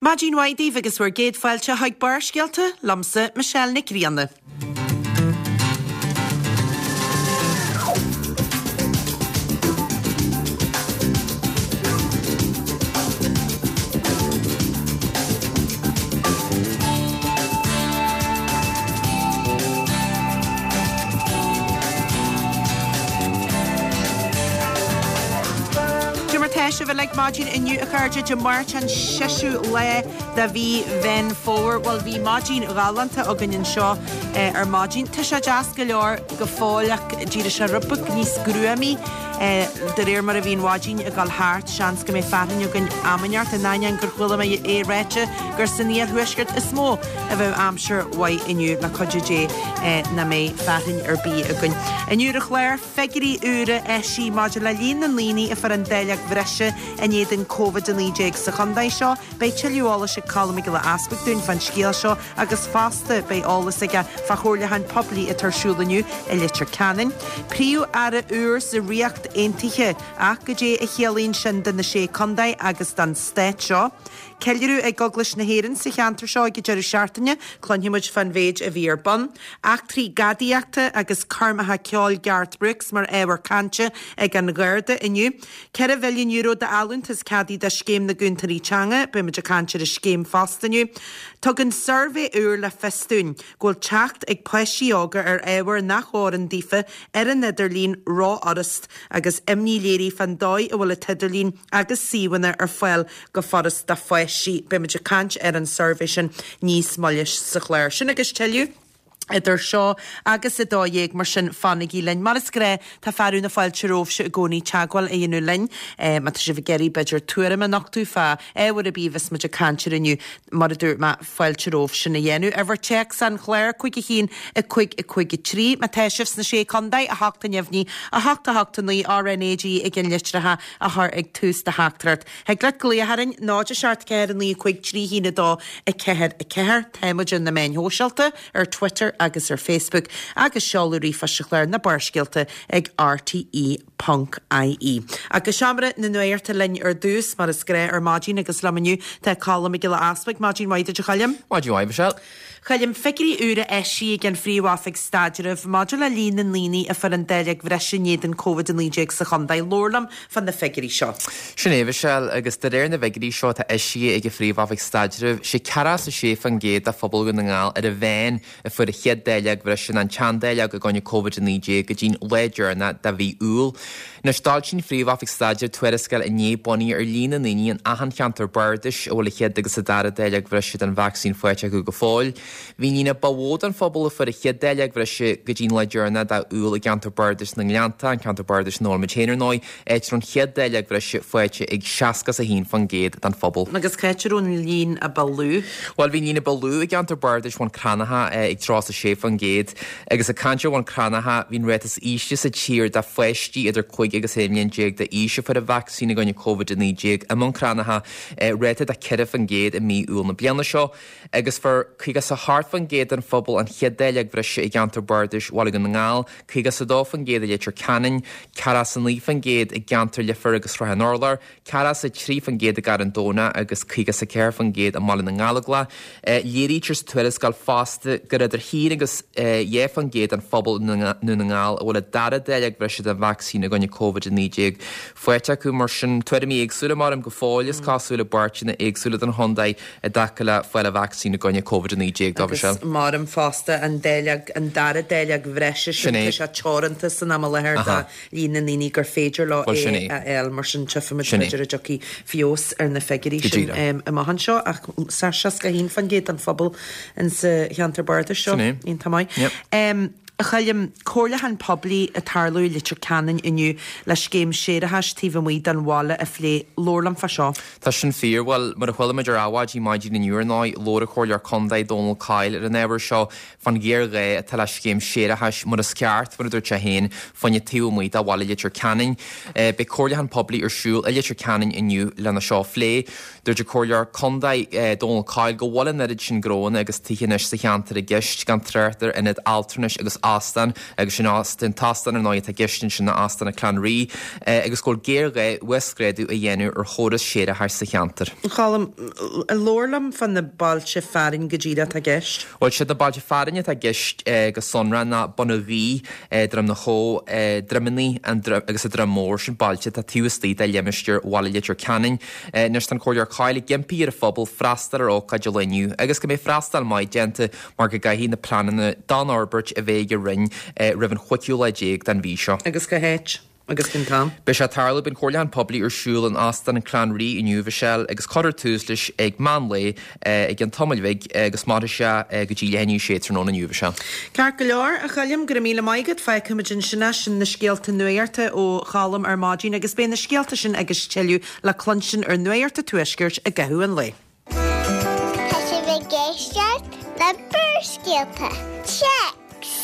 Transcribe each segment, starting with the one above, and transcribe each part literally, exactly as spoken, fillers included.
Maidin mhaith daoibh agus bhur gcéad fáilte chuig Barrscéalta liomsa Michelle Nic Grianna. Cad é mar tá sibh uilig maidin inniu a chairde Dé Máirt an seisiú lá de mhí Mheán Fómhair. Bhuel bhí maidin ghalánta againn anseo eh, ar maidin. Tá sé deas go leor go fóill ach d'éirigh sé rud beag níos gruamaí eh, de réir mar a bhí an mhaidin ag dul thart seans go mbeidh fearthainn againn am inteacht in ainneoin gur chuala mé é ráite gur san iarthuaisceart is mó a bheidh aimsir mhaith inniu le cuidiú Dé eh, nach mbeidh fearthainn ar bith againn. Inniu ar an chlár figiúirí úra eisithe maidir le líon na ndaoine a fuair an dáileog bhreise in éadan Covid a naoi déag sa chontae seo, beidh tuilleadh eolais ag Colm Mac Giolla Easbuig dúinn fán scéal seo agus fosta beidh eolas aige fá chomhairliúchán poiblí atá ar siúl inniu i Leitir Ceanainn. Príomh-Aire úr sa Ríocht Aontaithe ach cad é a chiallaíonn sin do na sé chontae agus don stát seo. Ceiliúradh ag Eaglais na hÉireann sa cheantar seo ag an deireadh seachtaine, cluinfidh muid fán mhéid a bhí ar bun. Eachtraí gadaíochta agus coirmeacha ceoil Garth Brooks mar ábhar cainte ag an Gharda inniu. Ceithre mhilliún euro d'fholúntas ceadaithe do scéim na gCúntóirí Teanga, beidh muid ag caint ar an scéim fosta inniu. Tugann suirbhé úr le fios dúinn go bhfuil teacht ag páistí óga ar ábhar nach bhfóireann daofa ar an idirlíon rófhurast agus imní léirithe fán dóigh a bhfuil an t-idirlíon agus suíomhanna ar fáil go furast do pháistí. Beidh muid ag caint ar an suirbhé sin níos moille sa chlár. Sin agus tuilleadh idir seo agus a dó dhéag mar sin fanaigí linn. Mar is gnách tá fearadh na fáilte romhaibhse i gcónaí teagmháil a dhéanamh linn. Eh, má tá sibh ag iarraidh b'fhéidir tuairim a nochtadh fá ábhar ar bith a bheas muid ag caint air inniu mar a dúirt mé fáilte romhaibh sin a dhéanamh. Uimhir téacs an chláir cúig a haon a cúig a cúig a trí. Má tá sibh sna sé chontae a hocht a neamhní a hocht a hocht a naoi RnaG i gceannlitreacha a chur ag tús do theachtaireacht. Thig leat glaoch orainn náid a seacht ceathair a naoi cúig trí haon a dó a ceathair a ceathair. Tá muid ar na meáin shóisialta ar Twitter agus ar Facebook agus seoladh ríomhphoist an chláir na Barrscéalta ag RTE ponc IE. Agus seomra na nuachta linn ar dtús mar is gnách ar maidin agus liom inniu tá Colm Mac Giolla Easbuig maidin mhaith duit a Choilm. Maidin mhaith Michelle. Choilm figiúirí úra eisithe ag an Phríomh-Oifig Staidrimh maidir le líon na ndaoine a fuair an dáileog bhreise in éadan Covid a naoi déag sa chontae. Labhair liom fá na figiúirí seo. Sin é Michelle agus de réir na bhfigiúirí seo atá eisithe ag an Phríomh-Oifig Staidrimh sé ceathracha is a sé faoin gcéad de phobal Dhún na nGall ar an mheán a fuair an chéad dáileog bhreise nó an tseandáileog i gcoinne Covid a naoi déag go dtí'n lá deireanach de mhí Iúil. Anois d'fhoilsigh an Phríomh-Oifig Staidrimh tuarascáil inné bunaithe ar líon na ndaoine in achan cheantar bardais a bhfuil an chéad agus an dara dáileog bhreise den vacsaín faighte acu go fóill. Bhí an líon ba mhó den phobal a fuair an chéad dáileog bhreise go dtí'n lá deireanach de Iúil i gceantar bardais na nGleannta, an ceantar bardais ina bhfuil muid féin ar ndóigh, áit a raibh an chéad dáileog bhreise faighte ag seasca is a haon faoin gcéad den phobal. Agus cá háit a raibh an líon a ba lú? Bhuel bhí an líon a ba lú i gceantar bardais Bhun Cranncha ag tríocha is a sé faoin gcéad agus ag caint ar Bhun Cranncha bhí an ráta is ísle sa tír de pháistí idir cúig agus aon bhliain déag d'aois a fuair an vacsaín i gcoinne Covid a naoi déag i mBun Cranncha ráta de ceithre faoin gcéad i mí Iúil na bliana seo agus fuair caoga is a hocht faoin gcéad den phobal an chéad dáileog bhreise i gceantar bardais Bhaile Dhún na nGall, caoga is a dó faoin gcéad i Leitir Ceanainn, ceathracha is a naoi faoin gcéad i gceantar Leifear agus Srath an Urláir, ceathracha is a trí faoin gcéad i gCarn Domhnach agus caoga is a ceathair faoin gcéad i mBaile na nGallóglach. Léirítear sa tuarascáil fosta gur idir haon agus dhá faoin gcéad den phobal i nDún na nGall a bhfuil an dara dáileog bhreise den vacsaín i gcoinne Covid a naoi déag faighte acu mar sin tuairimí éagsúla maram go fóill is cosúil i bpáirteanna éagsúla den chontae i dtaca le fáil an vacsaín i gcoinne Covid a naoi déag dá Agus Michelle. maram fosta an dáileog an dara dáileog bhreise Sin sin é. tá sé teoranta san am i láthair Aha. do líon na ndaoine gur féidir leo Bhuel, sin é é. a fháil mar sin tchífimid Sin é. b'fhéidir an dtiocfaidh feabhas ar na figiúirí Go sin díreach. um, amach anseo ach sa seasca a haon faoin gcéad den phobal in sa cheantar bardais seo Sin é. iontach maith. Yep. Um, a Choilm comhairliúchán poiblí ag tarlú i Leitir Ceanainn inniu le scéim séarachais taobh amuigh den bhaile a phlé labhair liom fá seo. Tá sin fíor bhuel mar a chuala muid ar Adhmhaidin maidin inniu ar ndóigh labhair an Comhairleoir Contae Dónal Coyle ar an ábhar seo fán ghéarghá atá le scéim séarachais mar is ceart mar a dúirt sé féin fá choinne taobh amuigh de bhaile Leitir Ceanainn. Eh, Beidh comhairliúchán poiblí ar siúl i Leitir Ceanainn inniu lena seo a phlé. Dúirt an Comhairleoir Contae eh, Dónal Coyle go bhfuil an oiread sin gnóanna agus tithe anois sa cheantar i gceist gan trácht ar ionad altranais agus óstán agus sin an t-óstán ar ndóigh atá i gceist ansin ná Óstán an Chlann Rí agus go bhfuil géarghá uasghrádú a dhéanamh ar chóras séarachais sa cheantar. Colm, labhair liom fá na bailte fearainn go díreach atá i gceist. Bhuel siad na bailte fearainn atá i gceist go sonrath ná Bun an Ghaoith, Droim na Chó, Droimeannaí agus an Droim Mór, sin bailte atá taobh istigh de limistéar Bhaile Leitir Ceanainn. Anois tá an Comhairleoir Coyle ag impí ar an phobal freastal ar ócáid an lae inniu agus go mbeidh freastal maith déanta mar go gcaithfidh na pleananna don fhorbairt a bheith ag an Roinn roimh an chúigiú lá déag den mhí seo. Agus cá háit? Agus cén t-am? Beidh sé ag tarlú, beidh an comhairliúchán poiblí ar siúl in Óstán an Chlann Rí inniu, a Mhichelle, agus cuirfear tús leis ag meán lae i gceann tamaill bhig agus mairfidh sé go dtí leath i ndiaidh a sé tráthnóna inniu, a Mhichelle. Ceart go leor, a Choilm, go raibh míle maith agat. Fágfaimid ansin é, sin na scéalta nuachta ó Cholm ar maidin agus beidh na scéalta sin agus tuilleadh le cluinstin ar Nuacht an Tuaiscirt i gcaitheamh an lae. Tá sibh ag éisteacht le Barrscéalta. Téacs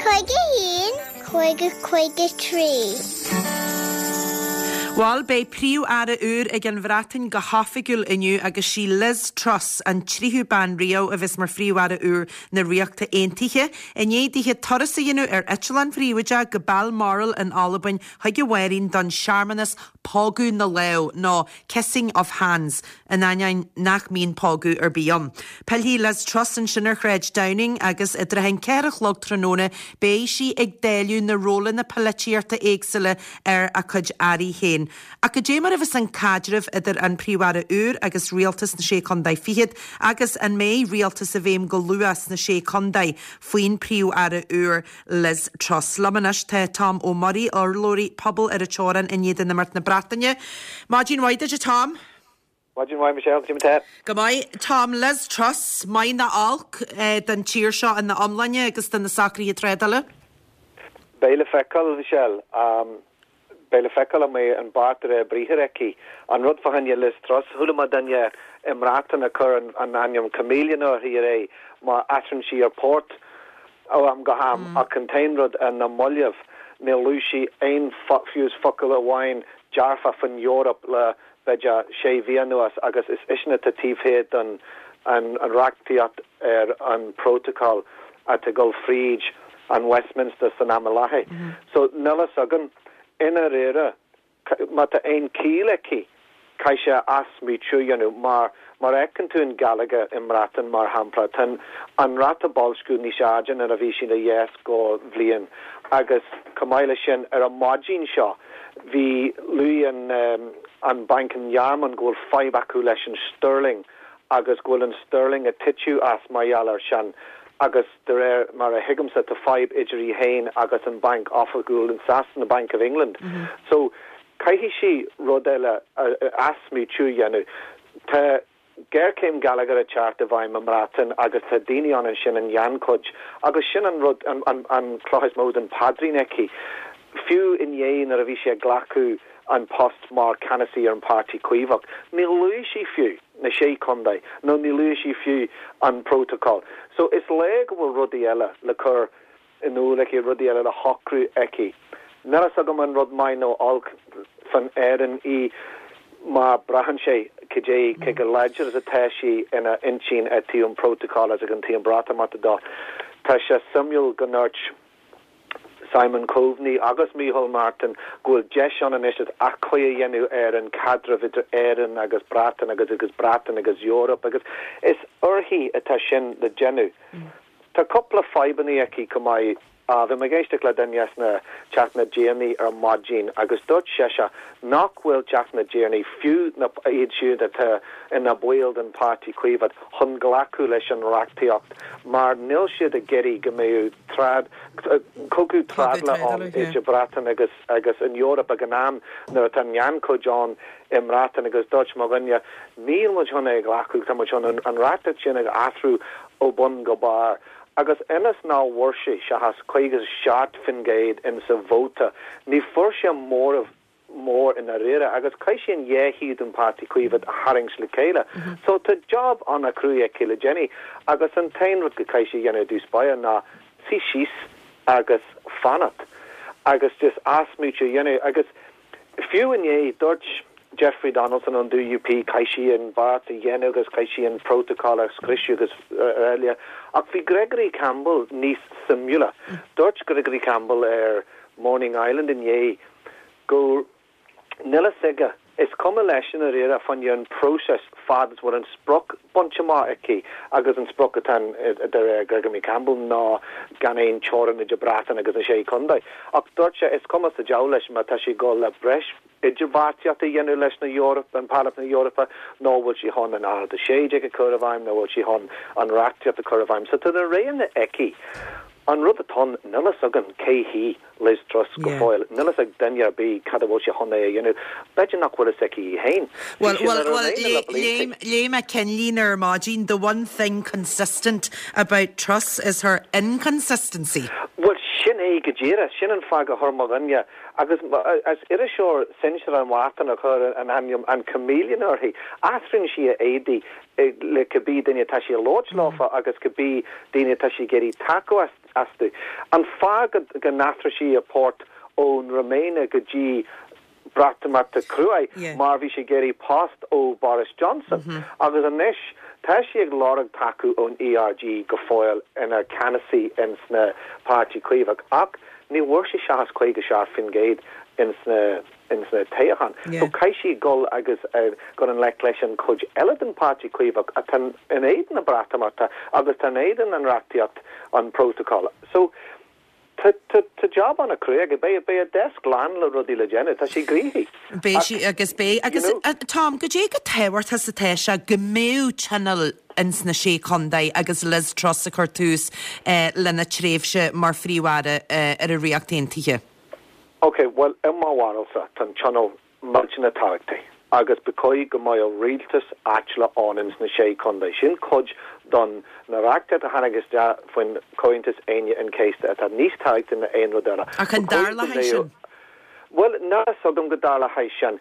cúig a haon cúig a cúig a trí. Bhuel, beidh Príomh-Aire úr ag an Bhreatain go hoifigiúil inniu agus sí Liz Truss, an tríú bean riamh a bheas mar Phríomh-Aire úr na Ríochta Aontaithe. I ndiaidh dithe turas a dhéanamh ar eitleán príobháideach go Balmoral in Albain chuig a mháithrín don searmanas pógadh na lámh nó kissing of hands, in ainneoin nach mbíonn pógadh ar bith ann. Pillfidh Liz Truss ansin ar Shráid Downing agus i dtrátha an ceathair a chlog tráthnóna beidh sí ag dáileadh na rólanna polaitíochta éagsúla ar a cuid airí féin. Ach goidé mar a bheas an caidreamh idir an Príomh-Aire úr agus rialtas na Sé Chontae Fichead agus an mbeidh rialtas i bhfeidhm go luath sna Sé Chontae faoin Príomh-Aire úr Liz Truss. Liom anois tá Tom Ó Muirí, urlabhraí Pobal ar an Teorainn in éadan imeacht na Breataine. Maidin mhaith duit, a Tom. Maidin mhaith Michelle, cad é mar tá? Go maith. Tom, Liz Truss, maith nó olc don tír seo ina iomláine agus do na socruithe trádála? Beidh le feiceáil, Michelle. Um, beidh le feiceáil an mbeidh an beart de réir briathair aici. An rud fá choinne Liz Truss, chuala mé duine i mBreatain ag cur an, an ainm chameleon uirthi aréir mar athraíonn sí a port ó am go ham mm. ach an t-aon rud ar na mallaibh níor luaigh sí aon fiú focal amháin dearfa faoin Eoraip le b'fhéidir sé mhí anuas agus is ise atá taobh thiar den an, an reachtaíocht ar an protocol atá ag dul fríd an Westminster san am i láthair. Mm -hmm. So níl a fhios againn i ndáiríre má tá aon chiall aici caithfidh sí athsmaoitiú a dhéanamh mar mar fheiceann tú an geilleagar i mBreatain mar shampla tá an ráta boilsciú níos airde ná a bhí sin a dheis go bhliain agus chomh maith leis sin ar an maidin seo bhí luaigh an um, an banc an Ghearmáin go bhfuil fadhb acu leis an sterling agus go bhfuil an sterling ag titim as mar gheall air sin agus de réir mar a thuigimse tá fadhb idir í féin agus an banc oifigiúil in Sasana Bank of England. Mm -hmm. So caithfidh sí rud eile athsmaoitiú a dhéanamh. Tá géarchéim geilleagar ag teacht i bhfeidhm i mBreatain agus tá daoine ann ansin in gannchuid agus sin an rud an, an, an cloch is mó den phaidrín aici. Fiú inné nuair a bhí sé ag glacadh an post mar ceannasaí ar an Páirtí Caomhach. Ní luaigh sí fiú na sé chontae nó ní luaigh sí fiú an protocol. So is léir go bhfuil rudaí eile le cur in iúl aici rudaí eile le shocrú aici. Níl a fhios agam an rud maith nó olc fan Éirinn í mar braitheann sé cad é cé chomh láidir is atá sí ina intinn i dtaobh an protocol as ag an taobh an Breatimeachta dó. Tá sé suimiúil go ndúirt Simon Coveney agus Micheál Martin go bhfuil deis ann anois athchóiriú a dhéanamh ar an caidreamh idir Éirinn agus Breatain agus agus Breatain agus Eoraip agus is uirthi atá sin le déanamh. Mm. Tá cúpla fadhbanna aici go maith bhí mé ag éisteacht le duine sna Teach na dTiarnaí ar maidin agus dúirt seisean nach bhfuil Teach na dTiarnaí fiú na iad siúd atá ina bhaill den Páirtí Caomhach chun glacadh leis an reachtaíocht mar níl siad ag iarraidh go mbeadh trád cogadh trádála ann idir Breatain agus agus an Eoraip ag an am nuair atá an gannchuid ann i mBreatain agus dúirt mo dhuine níl muid chun é glacadh tá muid chun an reachtaíocht sin ag athrú ó bun go barr. agus ionas nach bhfuair sé seachas caoga seacht faoin gcéad in sa vóta ní fuair sé móramh mór i ndáiríre agus caithfidh sí an dhá thaobh den Páirtí Caomhach a tharraingt le chéile. Mm -hmm. So tá job an-chruaidh aici le déanamh agus an t-aon rud go caithfidh sí a dhéanamh dtús báire ná suí síos agus fanacht agus just athsmaoitiú a dhéanamh agus fiú inné dúirt Jeffrey Donaldson ón D U P, caithfidh sí an beart a dhéanamh agus caithfidh sí an protocol a scriosadh agus eile. Ach bhí Gregory Campbell níos suimiúla. Dúirt Gregory Campbell ar Morning Ireland inné go níl a fhios aige, is cuma leis an réire fan an process fad is bhfuil an sprioc bainte amach aici, agus an sprioc atá de Gregory Campbell ná gan aon teorainn idir Breatain agus na sé chontae. Ach dúirt sé is cuma sa diabhal leis má tá sé go le breis idirbheartaíocht a dhéanamh leis na Eorp an Parlaimint na Eorpa nó bhfuil sí chun an alt a sé déag a chur i bhfeidhm nó bhfuil sí chun an reachtaíocht a chur i bhfeidhm. So tá na roghanna aici. An rud atá níl a fhios againn cé hí Liz Truss go fóill, níl a fhios ag duine ar bith cad a bhfuil sí chun é a dhéanamh. B'fhéidir nach bhfuil a fhios aici féin. Well, well, well, léigh mé ceannlíne ar maidin, "The one thing consistent about Truss is her inconsistency." Well, sin é go díreach, sin an fáth a chuir mo dhuine agus as iriseoir sinsear an Mhártain a chur an ainm an chameleon uirthi. Athraíonn sí a éadaí le cibé duine tá sí labhairt leofa agus cibé daoine tá sí ag iarraidh tacú astu. An fáth go n-athraigh sí a port ón Remain go dtí Breatimeacht crua mar bhí sé ag iarraidh post ó Boris Johnson. Mm -hmm. agus anois tá sí ag lorg tacú ón E R G go fóill ina ceannasaí ins na Páirtí Caomhach, ach ní bhfuair sí seachas caoga seacht faoin gcéad ins na ins na toghcháin. Yeah. So caithfidh sí dul agus uh, go an le leis an chuid eile den Páirtí Caomhach atá in éadan na Breatimeachta agus tá in éadan an reachtaíocht, an protocol. So Tá job an-chrua, beidh beidh a desk lán le rudaí le déanamh, tá sí gnoitheach. Beidh sí agus beidh agus Tom, goidé chomh tábhachtach is atá sé go mbeadh tionól ins na sé chontae agus Liz Truss a chur tús eh, lena tréimhse mar phríomh-aire eh, ar an Ríocht Aontaithe. Ok, well, i mo bharúilsa tá tionól millteanach tábhachtach agus ba chóir go mbeadh rialtas áitiúla ann ins na sé chontae. Sin cuid don na reachtaíocht a tháinig isteach faoin Comhaontas Aoine an Chéasta atá níos tábhachtaí ná aon rud eile. Ach an dtarlóidh sin? Well, ná sugam go dtarlóidh sin.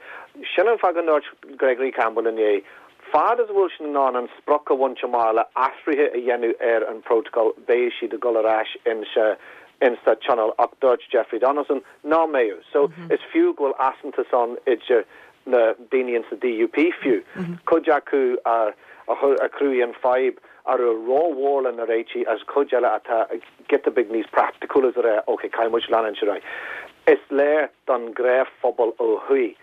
Sin an fáth a ndúirt Gregory Campbell inné. Fad is bhfuil sin an an sprioc a bhaint amach le athruithe a dhéanamh ar an protocol, beidh siad ag dul ar ais in se insa tionól, ach dúirt Jeffrey Donaldson ná mbeadh. So mm -hmm. is fiú go bhfuil easaontas ann idir na daoine in sa D U P fiú. Mm -hmm. Cuid acu a a chruthaigh an fadhb ar a rómhór le na réitigh as cuid eile atá giota beag níos praiticiúla a rá, ok, caithfidh muid leanúint. Is léir don ghnáthphobal ó thuaidh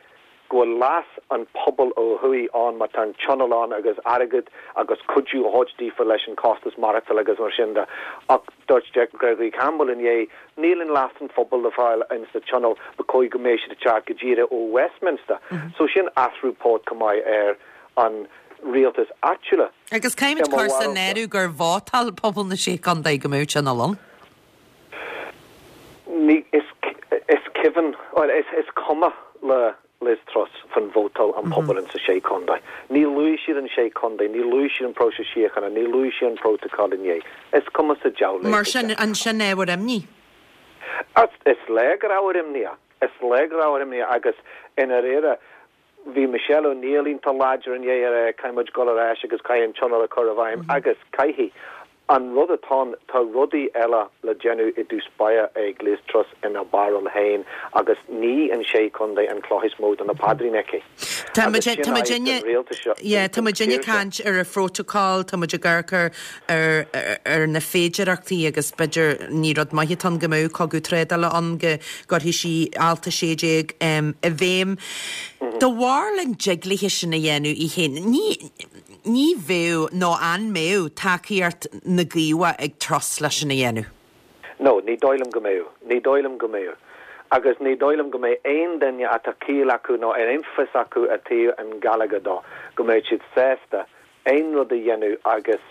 go bhfuil leas an pobal ó thuaidh ann má tá an tionól ann agus airgead agus cuidiú a thabhairt daofa leis an costas maireachtála agus mar sin de, ach dúirt Gregory Campbell inné níl an leas an phobal le fáil in sa tionól, ba chóir go mbeadh siad teacht go díreach ó Westminster. Mm -hmm. So sin athrú port go maith ar an rialtas áitiúla. Agus caithfimid cur san áireamh gur vótáil pobal na sé chontae go mbeadh tionól ann? Ní is is cuimhin, well, is is cuma le Liz Truss fan vótáil an pobal in sa sé chontae. Ní luaigh siad an sé chontae, ní luaigh siad an próiseas síochána, ní luaigh siad an protocol inné. Is cuma sa diabhal. Mar sin an sin ábhar imní. Is léir gur ábhar imní, is léir gur ábhar imní agus ina réire bhí Michelle O'Neill iontach láidir inné ar caithfimid dul ar ais agus caithfidh an tionól a chur i bhfeidhm agus caithfidh. An rud atá tá rudaí eile le déanamh i dtús báire ag Liz Truss ina barúil féin agus ní an sé chontae an chloch is mó do na paidrín aici. Tá muid ag caint ar an phrotocol, tá muid ag amharc ar ar na féidearthachtaí agus b'fhéidir ní rud maith atá go mbeadh cogadh trádála ann, go gcuirfidh sí alt a sé déag i bhfeidhm. Do bharr an dtig léi sin a dhéanamh í féin. Ní ní bheadh nó an mbeadh tacaíocht na gCaomhach ag Truss leis sin a dhéanamh. No, ní dóigh liom go mbeadh, ní dóigh liom go mbeadh. Agus ní dóigh liom go mbeidh aon duine atá ciall acu nó ar aon fios acu a taobh an Gallagher dó, go mbeidh siad sásta aon rud a dhéanamh agus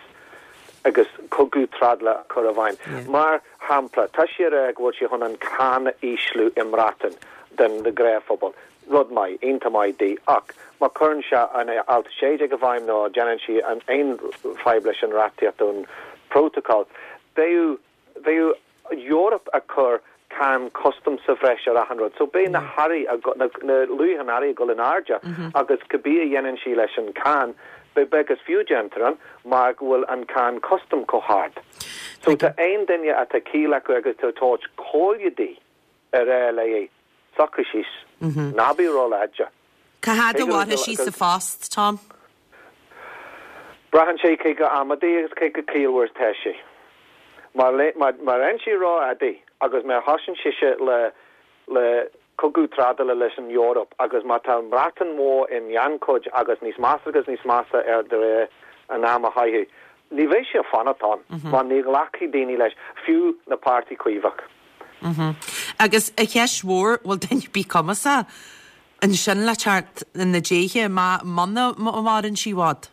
agus cogadh trádála a chur i bhfeidhm. Mar shampla, tá sí ag rá go bhfuil sí chun an cáin a ísliú i mBreatain den na gnáthphobal. Rud maith, iontach maith di, ach má chuireann sé an alt sé déag i bhfeidhm nó déanann sí an aon fadhb leis an reachtaíocht ón protocol. Beidh bheadh Europe a chur cáin custom sa bhreis ar achan rud. So beidh na hearraí na luach an earraí dul in airde agus cibé a dhéanann sí leis an cáin, be beag is fiú déantar an mar go bhfuil an cáin custom chomh hard. So tá aon duine atá ciall acu agus tá tabhairt comhairle di ar é le socraigh síos. Ná bí róláidir. Cá fhad a mhairfidh sí sa phost, Tom? Braitheann sé cé chomh amaideach agus cé chomh ciallmhar is atá sí. Má bhíonn sí ró-amaideach agus má thosaíonn sise le le cogadh trádála leis an Eoraip agus má tá an Bhreatain Mhór i ngannchuid agus níos measa agus níos measa ar de réir an am a chaitheamh, ní bheidh sí ag fanacht ann mar ní ghlacfaidh daoine leis, fiú na Páirtí Caomhach. Agus a cheist mhór, bhfuil duine ar bith cumasach ansin le teacht ina déithe má muna maireann sí i bhfad?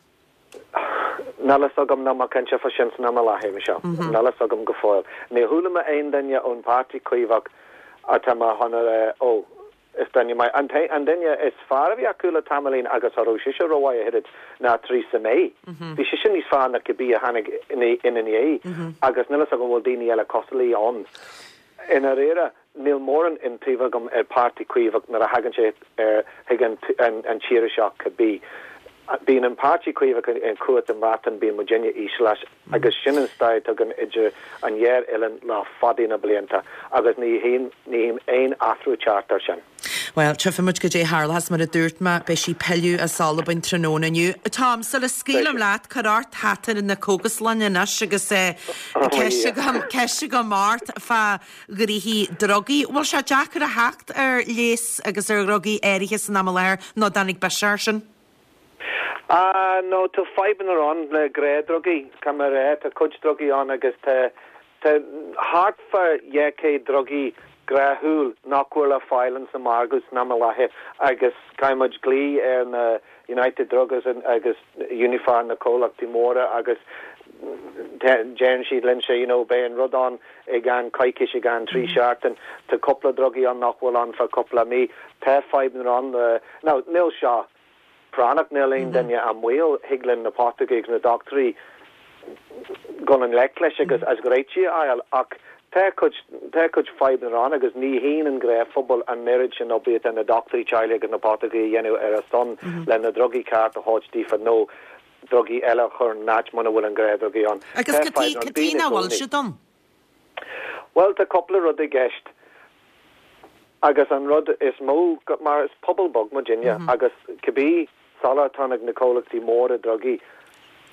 Níl a fhios agam, níl mé cinnte fá sin san am i láthair, Michelle. Níl a fhios agam go fóill. Níor chuala mé aon duine ón Páirtí Caomhach atá mé chun a rá, ó, is duine maith. An an duine is fearr a bhí acu le tamaillín agus cha raibh sise rómhaith a thuilleadh ná Theresa May. Bhí sise níos fearr ná cibé a tháinig ina ndiaidh agus níl a fhios agam an bhfuil daoine eile cosúil léi ann. I ndáiríre, níl mórán iontaoibh agam ar Páirtí Caomhach nuair a thagann sé ar chuig an an tír seo cibé. Bíonn an Páirtí Caomhach i gcumhacht i mBreatain, bíonn muidinne íseal leis agus sin an stair atá againn idir an dhá oileán le fada na blianta agus ní tchím ní tchím aon athrú ag teacht air sin. Bhuel, tchífidh muid goidé a tharlóchas, mar a dúirt mé, beidh sí ag pilleadh as Albain tráthnóna inniu. Tom, sula scaoilim leat, cuir ort hata na cógaslainne anois agus ceist agam, ceist agam ort fá ghnoithí drugaí. Bhfuil sé deacair a theacht ar leigheas agus ar dhrugaí áirithe san am i láthair nó dtáinig biseach air sin? Ah, no, tá fadhbanna ann le gnáthdhrugaí, caithfidh mé a rá, tá cuid drugaí ann agus tá tá thart fá dhá chéad drugaí gnáthúil nach bhfuil le fáil ins an margadh san am i láthair agus caithfidh muid glaoch ar na United Drugs agus Uniphar na comhlachtaí móra agus deireann siad linn sé you know beidh an rud ann i gceann coicís i gceann trí seachtain tá cúpla drugaí ann nach bhfuil ann fá cúpla mí tá fadhbanna ann now níl seo práinneach níl aon duine i mbaol thig linn na poticeoirí agus na dochtúirí dul i ngleic leis agus as réitigh a fháil ach tá cuid tá cuid fadhbanna ann agus ní haon an gnáthphobal an oiread sin oibre atá na dochtúirí teaghlaigh agus na poticeoirí a dhéanamh ar a son le na drugaí ceart a thabhairt daofa nó drugaí eile a chur in áit muna bhfuil an gnáthdhrugaí ann. Agus cad chuige nach bhfuil siad ann? Bhuel tá cúpla rud i gceist agus an rud is mó mar is pobal beag muidinne agus cibé soláthar atá ag na comhlachtaí móra drugaí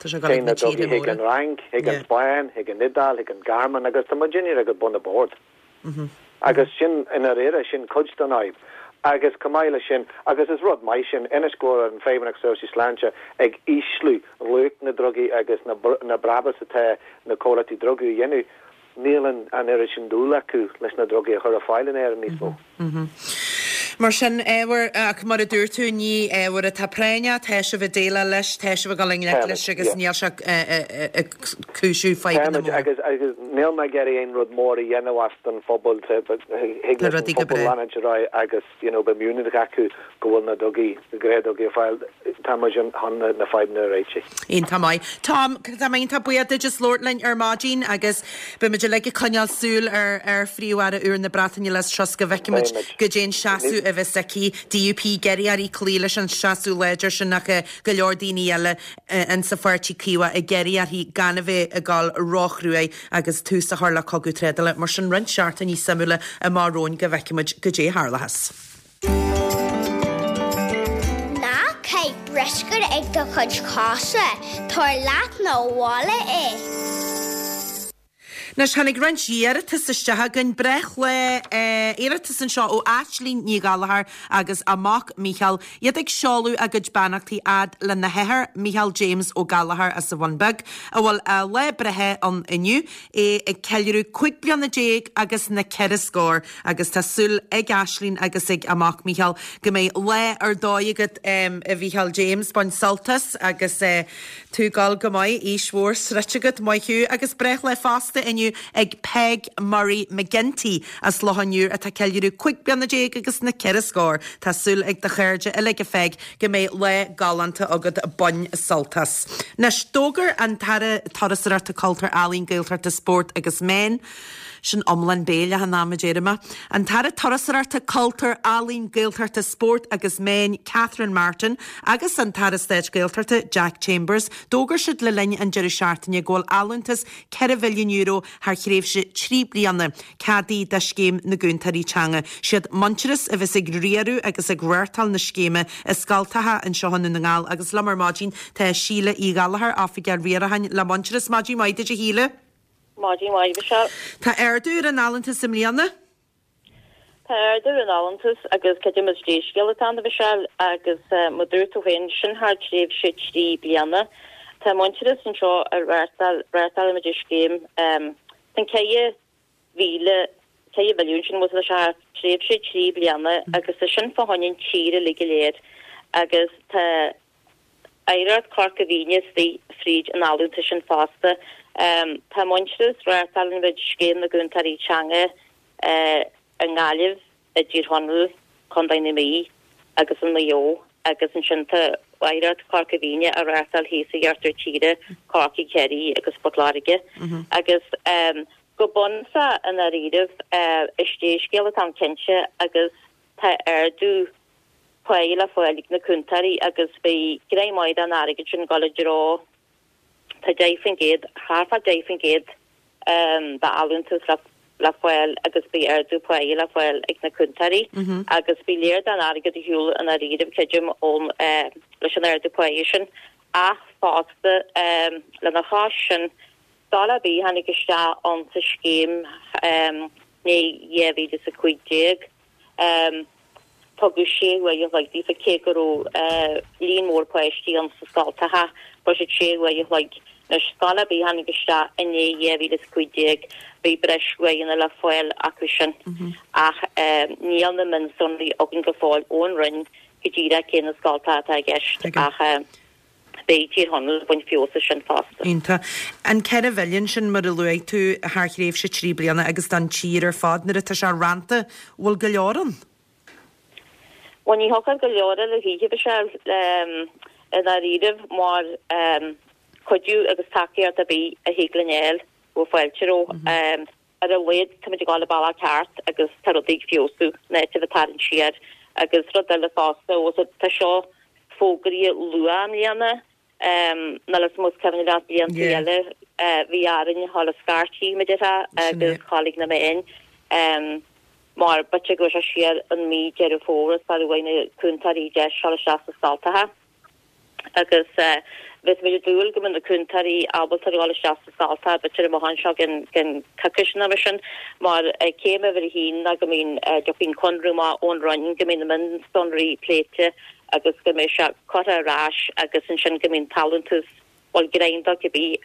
téann na drugaí chuig an Fhrainc, chuig an Spáinn, chuig an Iodáil, chuig an Ghearmáin agus tá muidinne ag bun an bhoird. Agus sin i ndáiríre sin cuid den fhadhb. Agus chomh maith leis sin, agus is rud maith sin, anois go bhfuil an Feidhmeannacht Seirbhísí Sláinte ag ísliú luach na drugaí agus na na brabús atá na comhlachtaí drugaí a dhéanamh, níl an an oiread sin dúil acu leis na drugaí a chur ar fáil in Éirinn níos mó. Mar sin, ábhar, ach mar a dúirt tú, ní ábhar atá práinneach, tá sibh ag déileáil leis, tá sibh ag dul i ngleic leis agus níl sé ag cúisiú fadhbanna móra. Agus agus níl mé ag iarraidh aon rud mór a dhéanamh as don phobal, thig leis an phobal leanúint ar aghaidh agus you know beidh muinín acu go bhfuil na drugaí, na gnáthdhrugaí ar fáil, tá muid chun na fadhbanna a réiteach. Iontach maith. Tom, tá mé iontach buíoch duit as labhairt linn ar maidin agus beidh muid uilig ag coinneáil súil ar ar Phríomh-Aire úr na Breataine Liz Truss go bhfeicfidh muid goidé an seasamh a bheas aici. DUP ag iarraidh uirthi cloí leis an seasamh láidir sin ach go leor daoine eile insa Pháirtí Caomhach ag iarraidh uirthi gan a bheith ag dul róchruaidh agus tús a chur le cogadh trádála. Mar sin roinnt seachtainí suimiúla amach romhainn go bhfeicfidh muid goidé a tharlóchas. Ná caith bruscar ag do chuid cosa, tabhair leat 'na bhaile é. Anois tháinig roinnt iarratas isteach againn. Breithlá iarratas anseo ó Aislinn Ní Ghallchóir agus a mac Mícheál, iad ag seoladh a gcuid beannachtaí fhad lena hathair Mícheál James Ó Gallchóir as an Bhun Beag, a bhfuil a lá breithe ann inniu, é ag ceiliúradh cúig bliana déag agus na ceithre scór agus tá súil ag Aislinn agus ag a mac Mícheál go mbeidh lá ar dóigh agat a Mhícheál James, bain sult as agus tú ag gabháil go maith, aois mhór sroichte agat, maith thú agus breithlá fosta inniu ag Peg Murray McGinty as Loch an Iúir atá ag ceiliúradh cúig bliana déag agus na ceithre scór. Tá súil ag do chairde uilig a Pheig go mbeidh lá galánta agat bain sult as. Anois, d'fhógair an tAire Turasóireachta, Cultúir, Ealaíon, Gaeltachta, Spóirt agus Meán, sin iomlán béil achan am a deir mé, an tAire Turasóireachta, Cultúir, Ealaíon, Gaeltachta, Spóirt agus Meán Catherine Martin agus an tAire Stáit Gaeltachta Jack Chambers, d'fhógair siad le linn an deireadh seachtaine go bhfuil allúntas ceithre mhilliún euro thar thréimhse trí bliana ceadaithe do scéim na gCúntóirí Teanga. Siad Muintearas a bheas ag riaradh agus ag reáchtáil na scéime i scoltacha anseo i nDún na nGall agus liom ar maidin tá Síle Uí Ghallchóir, Oifigeach Riaracháin le Muintearas. Maidin mhaith duit a Shíle. Maidin mhaith Michelle. Tá ardú ar an allúntas i mbliana? Tá ardú ar an allúntas agus creidim is dea-scéal atá ann a Mhichelle agus mar dúirt tú féin sin thar tréimhse trí bliana. Tá Muintearas anseo ag reáchtáil reáchtálaimid an scéim an ceithre mhíle ceithre mhilliún sin bhfuil sé thar tréimhse trí bliana agus tá sin fá choinne an tír uilig go léir agus tá Oidhreacht Chorca Dhuibhne istigh fríd an allúntas sin fosta. Tá Muintearas reáchtálaimid scéim na gCúntóirí Teanga i nGaillimh, i dTír Chonaill, Contae na Mí agus in Maigh Eo agus ansin tá Oidhreacht Chorca Dhuibhne á reáchtáil thíos i iarthar tíre, Corcaigh, Ciarraí agus Port Láirge. Agus go bunúsach i ndáiríribh is dea-scéal atá ann cinnte agus tá ardú páighe le fáil ag na cúntóirí agus beidh greim maith den airgead sin ag dul i dtreo tá deich faoin gcéad, thart fá deich faoin gcéad d'allúntas le le fáil agus beidh ardú páighe le fáil ag na cúntóirí agus beidh lear den airgead ar shiúl i ndáiríribh creidim ón leis an ardú páighe sin ach fosta lena chois sin scoil ar bith a tháinig isteach ann sa scéim i ndiaidh dhá mhíle is a cúig déag. Tugadh sé uair a chloig daofa cé go raibh líon mór páistí ann sa scoltacha, fuair siad sé uair a chloig. Anois, scoil ar bith a tháinig isteach i ndiaidh dhá mhíle is a cúig déag, beidh breis uaireanna le fáil acu sin. Ach níl na mionsonraí againn go fóill ón Roinn go díreach cé na scoltacha atá i gceist ach beidh Tír Chonaill ag baint feabhas as sin fosta. Iontach. An ceithre mhilliún sin, mar a luaigh tú, thar thréimhse trí bliana agus don tír ar fad, nuair atá sé rannta, bhfuil go leor ann? Bhuel, ní thiocfadh go leor eile choíche, Michelle, i ndáiríribh, mar cuidiú agus tacaíocht ar bith a thig linn a fháil, bheadh fáilte roimhe. Ar a laghad, táimid ag dul an bealach ceart agus tá rudaí ag feabhsú, in áit a bheith ag tarraingt siar. Agus rud eile fosta, tá seo fógraithe luath i mbliana, níl a fhios agam más cuimhin leat blianta eile, bhí orainn a dhul ag scairtigh, mar a déarfá, agus a dhul ag na meáin. Mar b'fhéidir go raibh sé siar in mí Deireadh Fómhair sara bhfuair na cúntóirí deis dul isteach sna scoltacha agus bheadh muid ag dúil go mbeadh na cúntóirí ábalta a dhul isteach sna scoltacha b'fhéidir amach anseo go ceann coicís nó mar sin mar céim uimhir a haon ná go mbíonn dtiocfaidh an conradh amach ón Roinn go mbíonn na mionsonraí pléite agus go mbeidh sé curtha ar ais agus ansin go mbíonn an t-allúntas bhuel greim dó cibé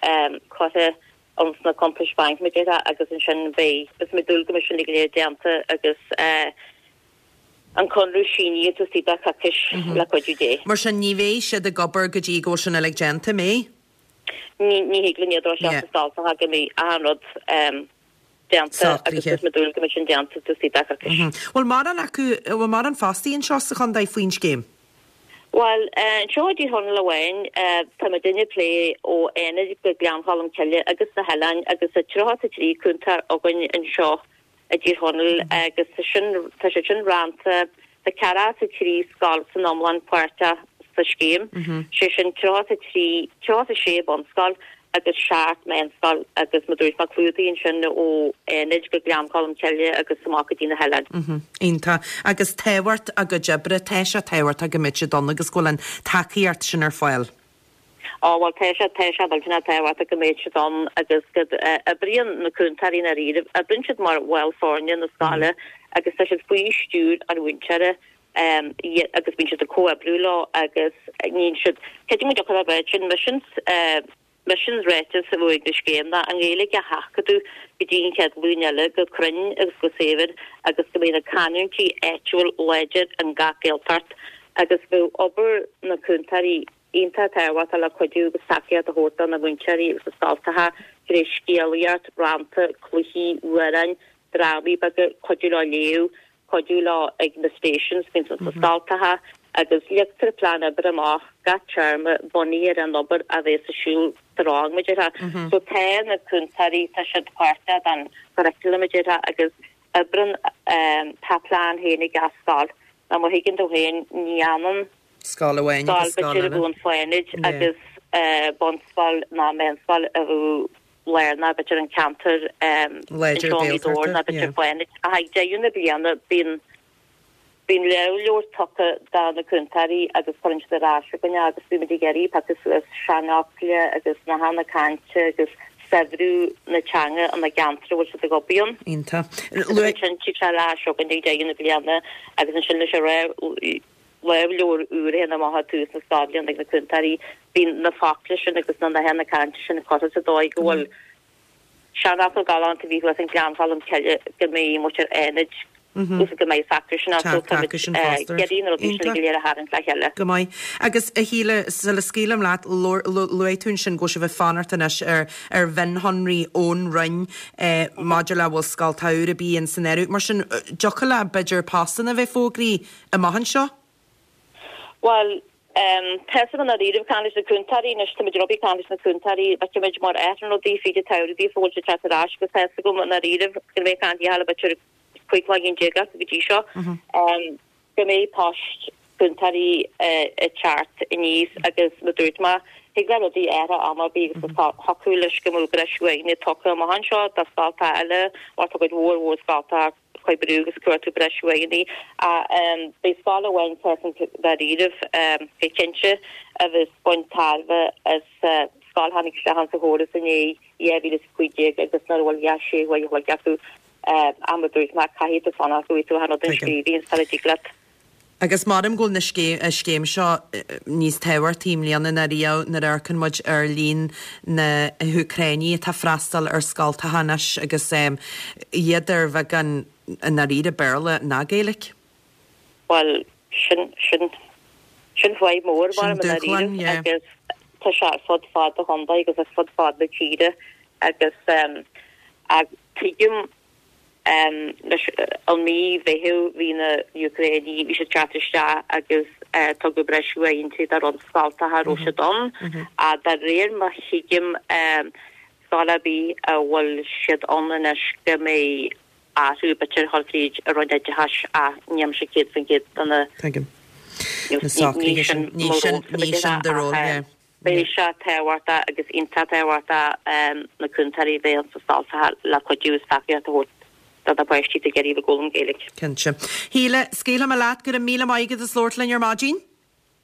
curtha ins na cuntais bhainc, mar a déarfá, agus ansin beidh, beidh muid ag dúil go mbeidh sin uilig go léir déanta agus an conradh sínithe taobh istigh de choicís le cuidiú Dé. Mar sin ní bheidh siad ag obair go dtí go bhfuil sin uilig déanta, an mbeidh? Ní, ní thig linn iad a thabhairt isteach sna scoltacha go mbeidh achan rud déanta agus beidh muid ag dúil go mbeidh sin déanta taobh istigh de choicís. Bhfuil mórán acu, bhfuil mórán fostaí anseo sa chontae faoin scéim? Bhuel, anseo i dTír Chonaill amháin, tá muidinne ag plé ó Fhánaid go Gleann Cholm Cille agus na hoileáin agus tá tríocha is a trí cúntóir againn anseo i dTír Chonaill agus tá sin, tá siad sin rannta, tá ceathracha is a trí scoil san iomlán páirteach sa scéim, sé sin tríocha is a trí, tríocha is a sé bunscoil agus seacht meánscoil agus mar a dúirt mé clúdaíonn sin ó Fhánaid go Gleann Cholm Cille agus amach go dtí na hoileáin. Iontach. Agus tábhacht a gcuid oibre, tá sé tábhachtach go mbeidh siad ann agus go bhfuil an tacaíocht sin ar fáil. Á bhuel tá sé, tá sé millteanach tábhachtach go mbeidh siad ann agus go oibríonn na cúntóirí i ndáiríribh, oibríonn siad mar bhaill foirne na scoile agus tá siad faoi stiúir an mhúinteora agus bíonn siad ag comhoibriú leo agus níonn siad, creidim go dtiocfadh le bheith sin misean, Misean is ráiteas a bheadh ag an scéim ná an Ghaeilge a sheachadadh go dtí an chéad ghlúin eile go cruinn agus go saibhir agus go mbeidh na canúintí áitiúil láidir in gach Gaeltacht agus bheadh obair na cúntóirí iontach tábhachtach le cuidiú agus tacaíocht a thabhairt do na múinteoirí agus na scoltacha tré scéalaíocht, rannta, cluichí, amhráin, drámaí beaga, cuidiú leo léamh, cuidiú leo ag na stations a bhíonn sna scoltacha agus leagtar plean oibre amach gach téarma bunaithe ar an obair a bheas ar siúl sa rang, mar a déarfá. So tá na cúntóirí, tá siad páirteach den churriculum, mar a déarfá, agus oibreann, tá plean féin ag gach scoil. Nó má thuigeann tú féin, ní ionann scoil amháin agus scoil eile. Scoil b'fhéidir a bheadh in Fánaid agus bunscoil ná meánscoil a bheadh lárnach b'fhéidir an ceantar Láidir anseo i nGaoth Dobhair ná Gaeltachta, b'fhéidir yeah. Fánaid. Ach ag deireadh na bliana bíonn bíonn lámhleabhar tugtha do na cúntóirí agus cuireann siad ar ais chugainn é agus bímid ag iarraidh piocadh suas seanfhocla agus nathanna cainte agus saibhriú na teanga ina gceantar a bhfuil siad ag obair ann. Iontach. Agus ansin tig sé ar ais chugainn ag deireadh na bliana agus ansin leis an lámhleabhar úr a théann amach ag tús na scoilbhliana ag na cúntóirí, bíonn na focla sin agus na nathanna cainte sin curtha sa dóigh go bhfuil seanfhocal galánta a bhí thuas in Gleann Cholm Cille go mbeidh muintir Fhánaid agus go mbeidh acu sin as Tá acu sin fosta. ag iarraidh na rudaí sin go léir a tharraingt le chéile. Go maith. Agus a Shíle, sula scaoilim leat, luaigh tú ansin go bhfuil sibh ag fanacht anois ar ar mhionshonraí ón Roinn maidir le bhfuil scoltacha úra ar bith in san áireamh. Mar sin, dtiocfadh le b'fhéidir postanna a bheith fógraí amach anseo? Bhuel, tá a fhios agam i ndáiríre ag caint leis na cúntóirí anois, táimid ag obair ag caint leis na cúntóirí, feicfimid mar a athraíonn rudaí fríd an tsamhradh daofa bhfuil siad teacht ar ais agus tá a fhios agam i ndáiríre go mbeidh caint le b'fhéidir cúig lá déag acu go dtí seo, go mbeidh poist cúntóirí ag teacht aníos agus mar a dúirt mé, thig le rudaí athrú am ar bith agus thiocfadh leis go mbeadh breis uaigne tugtha amach anseo do scoltacha eile mar tá cuid mhór mhór scoltacha ag oibriú agus cuartú breis uaigní. Beidh scoil amháin dáiríre go cinnte a bheas ag baint tairbhe as scoil a tháinig isteach sa chóras i ndiaidh dhá mhíle is a cúig déag agus nach bhfuil dhá sé uair a chloig acu am a dúirt mé caithfidh tú fanacht go bhfaighidh tú an rud in scríbhinn sula dtig leat. Agus maram go bhfuil na scéim, scéim seo níos tábhachtaí i mbliana ná riamh nuair a amharcann muid ar líon na hÚcráinigh atá freastal ar scoltacha anois agus iad ar bheagán i ndáiríre Béarla ná Gaeilge. Bhuel, sin, sin, sin fadhb mór Sin mar i dúshlán, ndáiríre yeah. agus tá sé ar fud fad an chontae agus ar fud fad na tíre agus um, ag tuigim um, leis an mí Mheithimh bhí na Úcráinigh bhí siad teacht isteach agus uh, tugadh breis uaitheanta do roinnt scoltacha a raibh siad ann. A de réir mar a thuigim um, scoil ar bith a bhfuil siad ann anois go mbeidh athrú b'fhéidir a dhul fríd an Roinn Oideachais a nílimse céad faoin gcéad do na Tuigim. Na socruithe sin, ní sin, ní sin do ról, yeah. Beidh sé tábhachtach agus iontach tábhachtach um, na cúntóirí bheith sa scoltacha le cuidiú is tacaíocht a thabhairt do na páistí ag iarraidh foghlaim Gaeilge. Cinnte. Shíle, scaoilfidh mé leat go raibh míle maith agat as labhairt linn ar maidin.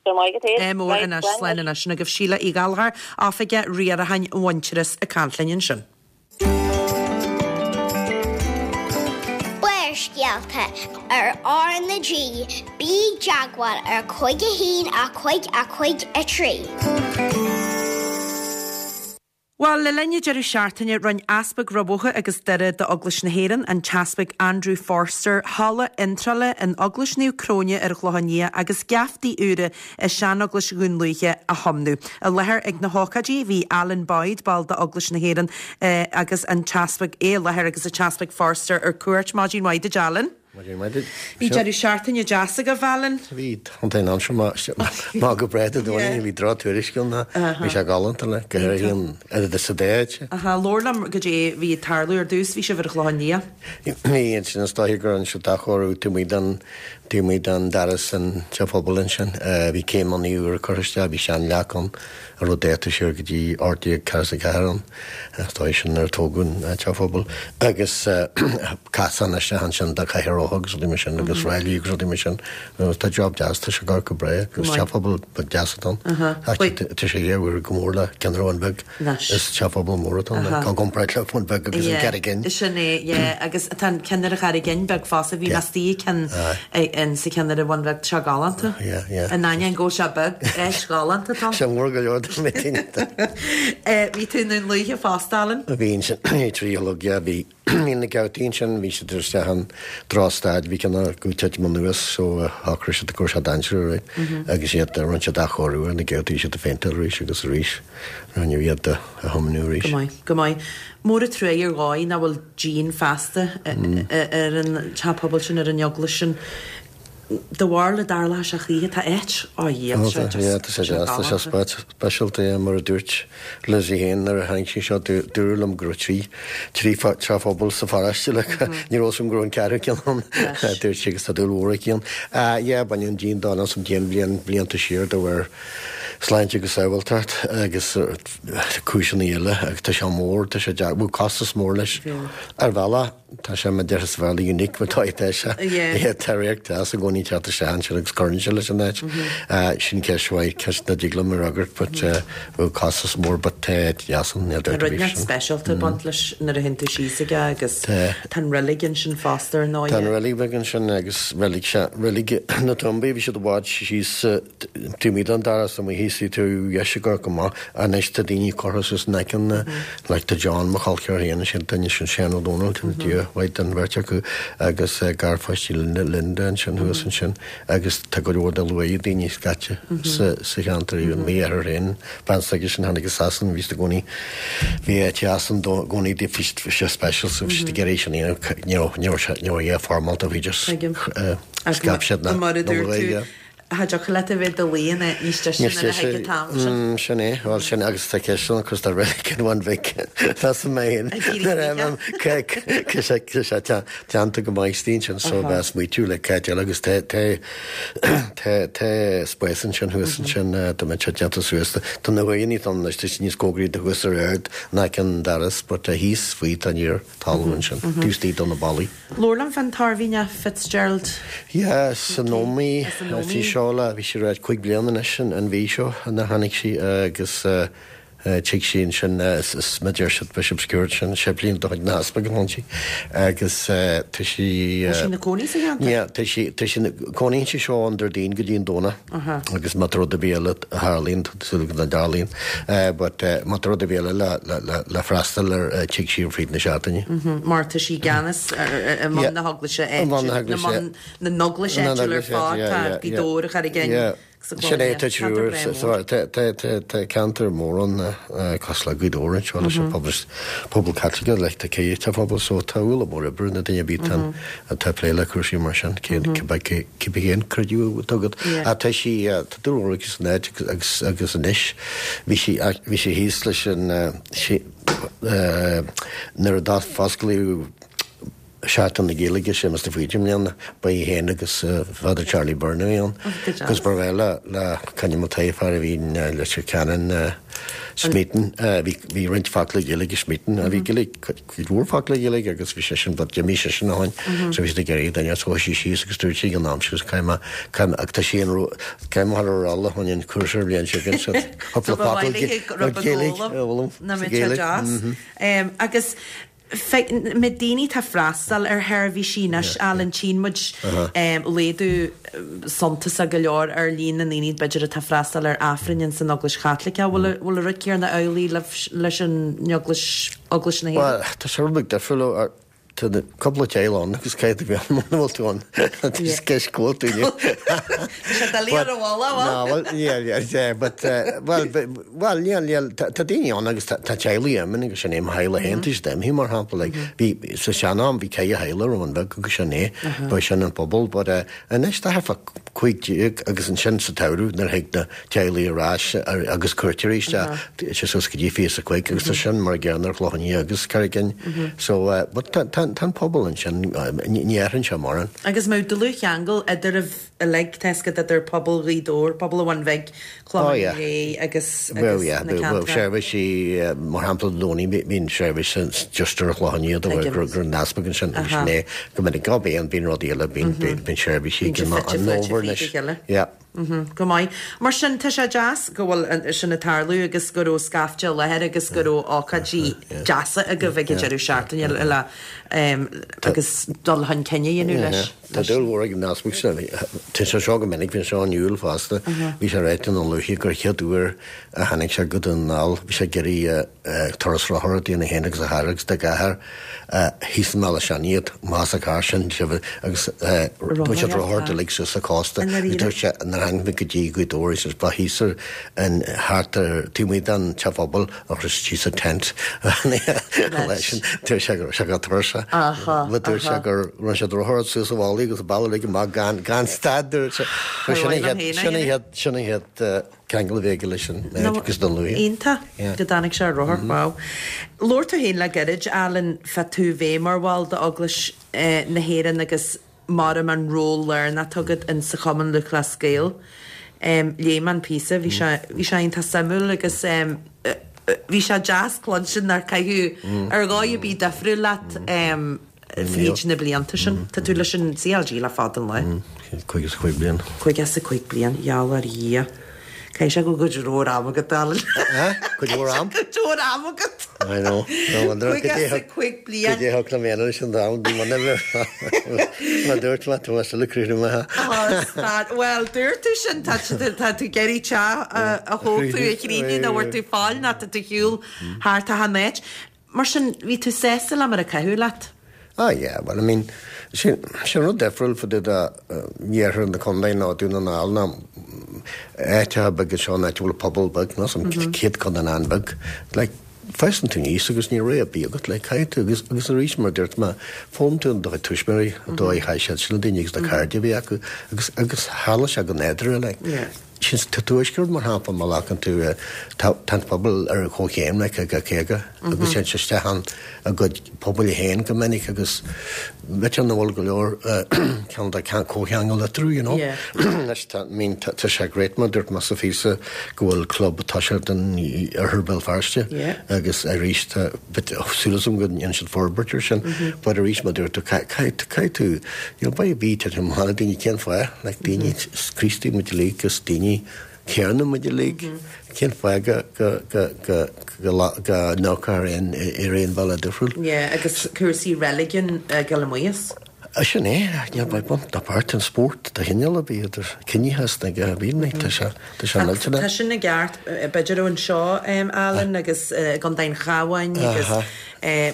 Go maith agat É mór anois slán anois sin agaibh Síle Uí Ghallchóir, Oifigeach Riaracháin Mhuintearas ag caint linn ansin. Barrscéalta ar R na G, bí i dteagmháil ar cúig a haon a cúig a cúig a trí. Bhuel, le linn an deireadh seachtaine rinne Easpag Rubhócha agus Doire d'Eaglais na hÉireann, an tEaspag Andrew Forster, halla iontrála in Eaglais Naomh Cróine ar an Chlochán Liath agus geaftaí úra i Seaneaglais Dhún Lúiche a thiomnú. I láthair ag na hócáidí bhí Alan Boyd, ball d'Eaglais na hÉireann, agus an tEaspag é i láthair agus an tEaspag Forster ar cuairt. Maidin mhaith duit, Alan. Maidin mhaith duit. Bhí deireadh seachtaine deas agaibh, Alan. Bhí an t-aon anseo má go breá dóí bhí drochthuairisc ann bhí sé galánta le go háirithe an oiread sa déid. Aha, labhair liom goidé bhí ag tarlú ar dtús, bhí sibh ar an Chlochán Liath. Bhí ansin is dóiche go raibh siad athchóiriú taobh amuigh den taobh amuigh den doras an teach pobail ansin. Bhí céimeanna úra curtha isteach, bhí seanleac ann a raibh dáta siar go dtí ocht déag ceathracha ceathair ann, is dóigh sin nuair a tógadh an teach pobail. Agus casán isteach ansin do chathaoir rotha agus rudaí mar sin agus ráillí agus rudaí mar sin. Tá job deas, tá sé ag amharc go breá agus teach pobail beag deas atá ann. Ach tá sé dhá uair go mór le ceann ar Bhun Bheag. Is teach pobail mór atá ann, i gcomparáid le Bun Bheag agus an Carraig Fhinn. Sin é, yeah, agus tá an ceann ar an Charraig Fhinn beag fosta, bhí mé istigh i gceann sa cheann ar an Bhun Bheag, tá sé galánta. In ainneoin go bhfuil sé beag, áit ghalánta atá ann. Sé mór go leor do mé féin. Bhí tú i nDún Lúiche fosta, Alan? Bhí ansin trí a chlog, yeah, bhí bhí na geaftaí ansin, bhí siad isteach an drochstaid, bhí ceann acu ag titim anuas so shocraigh siad go raibh sé dainséarach, right? Agus iad, rinne siad athchóiriú ar na geaftaí, siad a phéinteáil arís agus arís, rinneadh iad a thiomnú arís. Go maith, go maith. Mór an truaighe ar dhóigh nach bhfuil díon feasta ar an teach pobail sin, ar an eaglais sin. Do bharúil an dtarlóidh sé choíche, tá áit á dhíol, sé just, Yeah, tá sé deas, tá sé speisialta, yeah, mar a dúirt Lizzie féin nuair a tháinig sí seo, dúradh liom go raibh trí, trí teach pobail sa pharóiste, like, ní raibh a fhios agam go raibh an ceathrú ceann ann, dúirt sí agus tá dúil mhór aici ann. Yeah, baineadh an díon dó, an díon bliain, blianta siar de bharr sláinte agus sábháilteacht agus cúiseanna eile agus tá sé mór tá sé bhfuil costas mór leis ar bhealach tá sé mar deir is fairly unique mar tá tá sé tá réir tá sa gcónaí teacht isteach ansin agus cuireann sé leis an áit sin ceist mhaith ceist na dtig liom a fhreagairt but bhfuil costas mór but tá deas an níl Tá rud neart speisialta ag baint leis nuair a théann tú síos aige agus tá an reilig ansin fosta ar ndóigh. Tá an reilig bheag ansin agus reilig reilig na tumbaí bhí siad i bhfad síos taobh amuigh den doras amuigh thíos tú dheis ag go maith anois tá daoine curtha suas in aice na like tá John mo chol ceathar féin ansin duine sin Seán Ó Dónaill tá Dia mhaith don bheirt acu agus garpháistí Linda Linda ansin thuas ansin agus tá go leor de luaith daoine scaite sa sa cheantar í an mí ar féin bean s'aige sin tháinig as Sasana bhí i gcónaí bhí teas an gcónaí di bhí sé special so bhí siad ag iarraidh sin a dhéanamh ní raibh ní raibh sé ní raibh é foirmeálta bhí just scaip siad na Mar a na dúirt luaith, tú yeah. Cha dtiocfadh leat a bheith i do luí in áit níos deise nuair a thig an t-am sin. Mm, sin é, bhuel sin agus tá ceist ann agus tá reilig an Bhun Bhig Tá mé féin. Ag iarraidh Nuair a sé sé teannta go maith istigh ansin so bheas smaoitiú le ceist eile agus tá tá tá tá spás ansin thuas ansin tá mé déanta suas tá na huaigheanna ann anois tá siad níos cóngaraí do thuas ar aird in aice an doras but tá thíos faoi tá níor talamh ansin taobh istigh do na ballaí. Labhair liom fán tOirmhinneach Fitzgerald. Yeah, san Ómaigh As an Ómaigh. bhí seo le bhí sí ráit cúig bliana anois an an mhí seo ina tháinig sí agus tig sí ansin is ma deir siad Bishop Stewart sin séiplíneach de chuid na heaspaig a sí agus tá sí Tá sí ina cónaí sa cheantar? Yeah, tá sí tá sí cónaíonn sí seo an Déardaoin go dtí an Domhnach agus má tá rud ar bith eile a tharlaíonn súil go dtarlaíonn but má tá rud ar bith eile le le le le freastal ar tig sí fríd na seachtaine. Mar tá sí i gceannas i mbun na heaglaise I mbun na heaglaise. na mbun na n-eaglais Na áitiúil ar n-eaglais, fad yeah, tá yeah, Gaoth yeah. Dobhair a Charraig Fhinn Sin é tá triúr tá ceantar mór ann cosúil le Gaoth Dobhair anseo leis an pobal pobal Caitliceach le tá cé tá pobal so tá ualach mór oibre na daoine bhí an atá ag plé le cúrsaí mar sin cé cibé cén creideamh atá agat. Yeah. A tá sí tá dúil mhór aici san áit agus agus anois bhí sí bhí sí thíos leis an sí nuair a d'athosclaíodh Seachtain na Gaeilge Séamus de Faoite i mbliana ba í féin agus Father Charlie Byrne a bhí ann. Good Agus ba bhreá le le Connie Mulcahy fear a bhí Leitir Ceanainn Smeaton bhí bhí roinnt focla Gaeilge Smeaton a bhí Gaeilge cuid mhór focla Gaeilge agus bhí sé sin but d'imigh sé sin a hain so bhí siad ag iarraidh duine so sí síos agus dúirt sí an am sin caithfidh mé caithfidh mé ach tá sí an caithfidh mé ar rolla chun an cúrsa ar bhliain sin So cúpla ba focal mhaith léi go raibh Gaeilge a a fhoghlaim Na sa mé Ghaeilge. deas. Agus na daoine tá freastal ar sheirbhísí anois Alan tchíonn muid laghdú suntasach go leor ar líon na ndaoine b'fhéidir atá freastal ar Aifrinn san Eaglais Chaitliceach bhfuil bhfuil rud céanna amhlaidh leis an Eaglais Eaglais na Well, tá sé rud beag difriúil ar tá na cúpla teaghlach ann agus caithfidh tú bheith ann muna bhfuil tú ann. Tá ceist go bhfuil tú inniu. Sé doiligh ar an bhalla, bhfuil? No, well, yeah, yeah, yeah, but, uh, well, but, well, yeah, yeah, tá tá daoine ann agus tá tá teaghlaigh imithe agus sin é mo theaghlach féin, tá siad imithe mar shampla, like, bhí sa sean-am bhí ceithre theaghlach ar an Bheag agus sin é, ba sin an pobal, but uh, anois tá thart fá cúig déag agus ansin sa tsamhradh nuair a thig na teaghlaigh ar ais ar- agus cuairteoirí isteach, sé suas go dtí fiche is a cúig agus tá sin mar gcéanna ar Chlochán Liath agus Carraig Fhinn. So, uh, but tá tá tá an pobal ansin, uh, ní ní athraíonn sé mórán. Agus mar dlúthcheangal idir uilig tá a fhios agat idir pobal Ghaoth Dobhair, pobal an Bhun Bhig, Oh, Clochán yeah. Liath agus Well, agus yeah, na well, ceantracha. seirbhísí mar shampla Dé Domhnaigh bíonn seirbhís just ar Chlochán Liath do Tuigim. gur gur an easpag ansin agus Aha. sin é go minic go bíonn bíonn rudaí eile bíonn bíonn bíonn seirbhísí Bíonn sé an fite an fuaite nóbhar fríd a anois. chéile. Yeah. Mhm, Go maith. Mar sin tá sé deas go bhfuil an- sin ag tarlú agus go raibh scaifte i láthair agus go raibh ócáidí deasa agaibh ag an deireadh seachtaine le um, agus dul chun cinn a dhéanamh leis. Tá dúil mhór ag an easpag sin. Tá sé seo go minic bhí sé in Iúil fosta. Bhí sé ráite an luaithe gur chéad uair a tháinig sé go Dún na nGall, bhí sé ag iarraidh turas rothar dóibh féin agus a chara agus dá dheartháir thíos i mBealach Seanaidh más a car sin sibh agus dúirt siad rothar uilig suas an cósta. I ndáiríre? Dúirt sé nuair a tháinig mé go dtí Gaoth Dobhair is ba thíos ar an thart ar taobh amuigh den teach pobail agus síos a tent leis sin dúirt sé go sé go turas. Aha, But dúirt sé aha. gur rinne siad rothar suas an bhealach agus baile ag amach gan gan stad dúirt sé. Sin mhaith liom féin é sin iad sin iad ceangal a bheith leis an agus don luaithe. Iontach Yeah. go dtáinig sé ar rothar, wow. Labhair tú féin le gairid Alan fá tú bheith mar bhall d'Eaglais eh, na hÉireann agus mar an ról lárnach atá agat in sa Chumann Lúthchleas Gael. Léigh mé an píosa, bhí sé bhí sé iontach suimiúil agus bhí sé deas cluinstin nár caitheadh ar dhóigh ar bith difriúil leat fríd na blianta sin. Tá tú leis an C L G le fada an lá. Caoga is a cúig bliain. Caoga is a cúig bliain, gheall ar Dhia. Caithfidh sé go bhfuil cuid mhór am agat, Alan. Cuid mhór am? Cuid mhór am agat. I know. No wonder. Caoga is a cúig bliain. Cad é thug liom leis an am, bhí má dúirt má tú le cruú me. Well, dúirt tú sin tá tá tú ag iarraidh teach a thógáil a chríní nó bhfuil tú fáil ná tá tú shiúl thart a háit. Mar sin bhí tú sásta le mar a caitheadh leat. Ah yeah, well I mean sin sin rud difriúil fá dtaobh de iarthar na contae ná Dún na nGall ná áiteacha beaga seo áit a bhfuil pobal beag ná sam céad chun an an-bheag. Like fásann tú aníos agus ní rogha ar bith agat le caithfidh tú agus agus arís mar dúirt mé foghlaim tú do chuid tuismitheoirí an dóigh a chaith siad sin daoine agus na cairde a bhí acu agus agus tharla sé go nádúrtha like. Yeah. Sin sa tuaisceart mar shampla má ghlacann tú tá tá an pobal ar comhchéim like ag caoga agus téann sé isteach ann a gcuid pobail féin go minic agus b'fhéidir nach bhfuil go leor ceann de comhcheangal eatarthu you know. Yeah. Anois tá I mean tá tá sé great mar dúirt mé sa phíosa go bhfuil club tosaithe in oirthear Bhéal Feirste Yeah. agus arís tá bit súil agam go ndéanann siad forbairt ar sin but arís mar dúirt tú caithfidh caithfidh tú you know beidh bí tá na daoine cén fáth like daoine Críostaí muid uilig agus daoine céanna muid uilig cén fáth go go go go go go n-amharcfar ar ar aon bhealach difriúil. Yeah, agus cúrsaí reiligiún ag maíos. Sin é ní ba bun tá páirt an spórt de chineál a bhí idir ciníochas na go bhí tá sé tá sé Tá millteanach. sin i gceart b'fhéidir anseo Alan agus Contae an Chabháin agus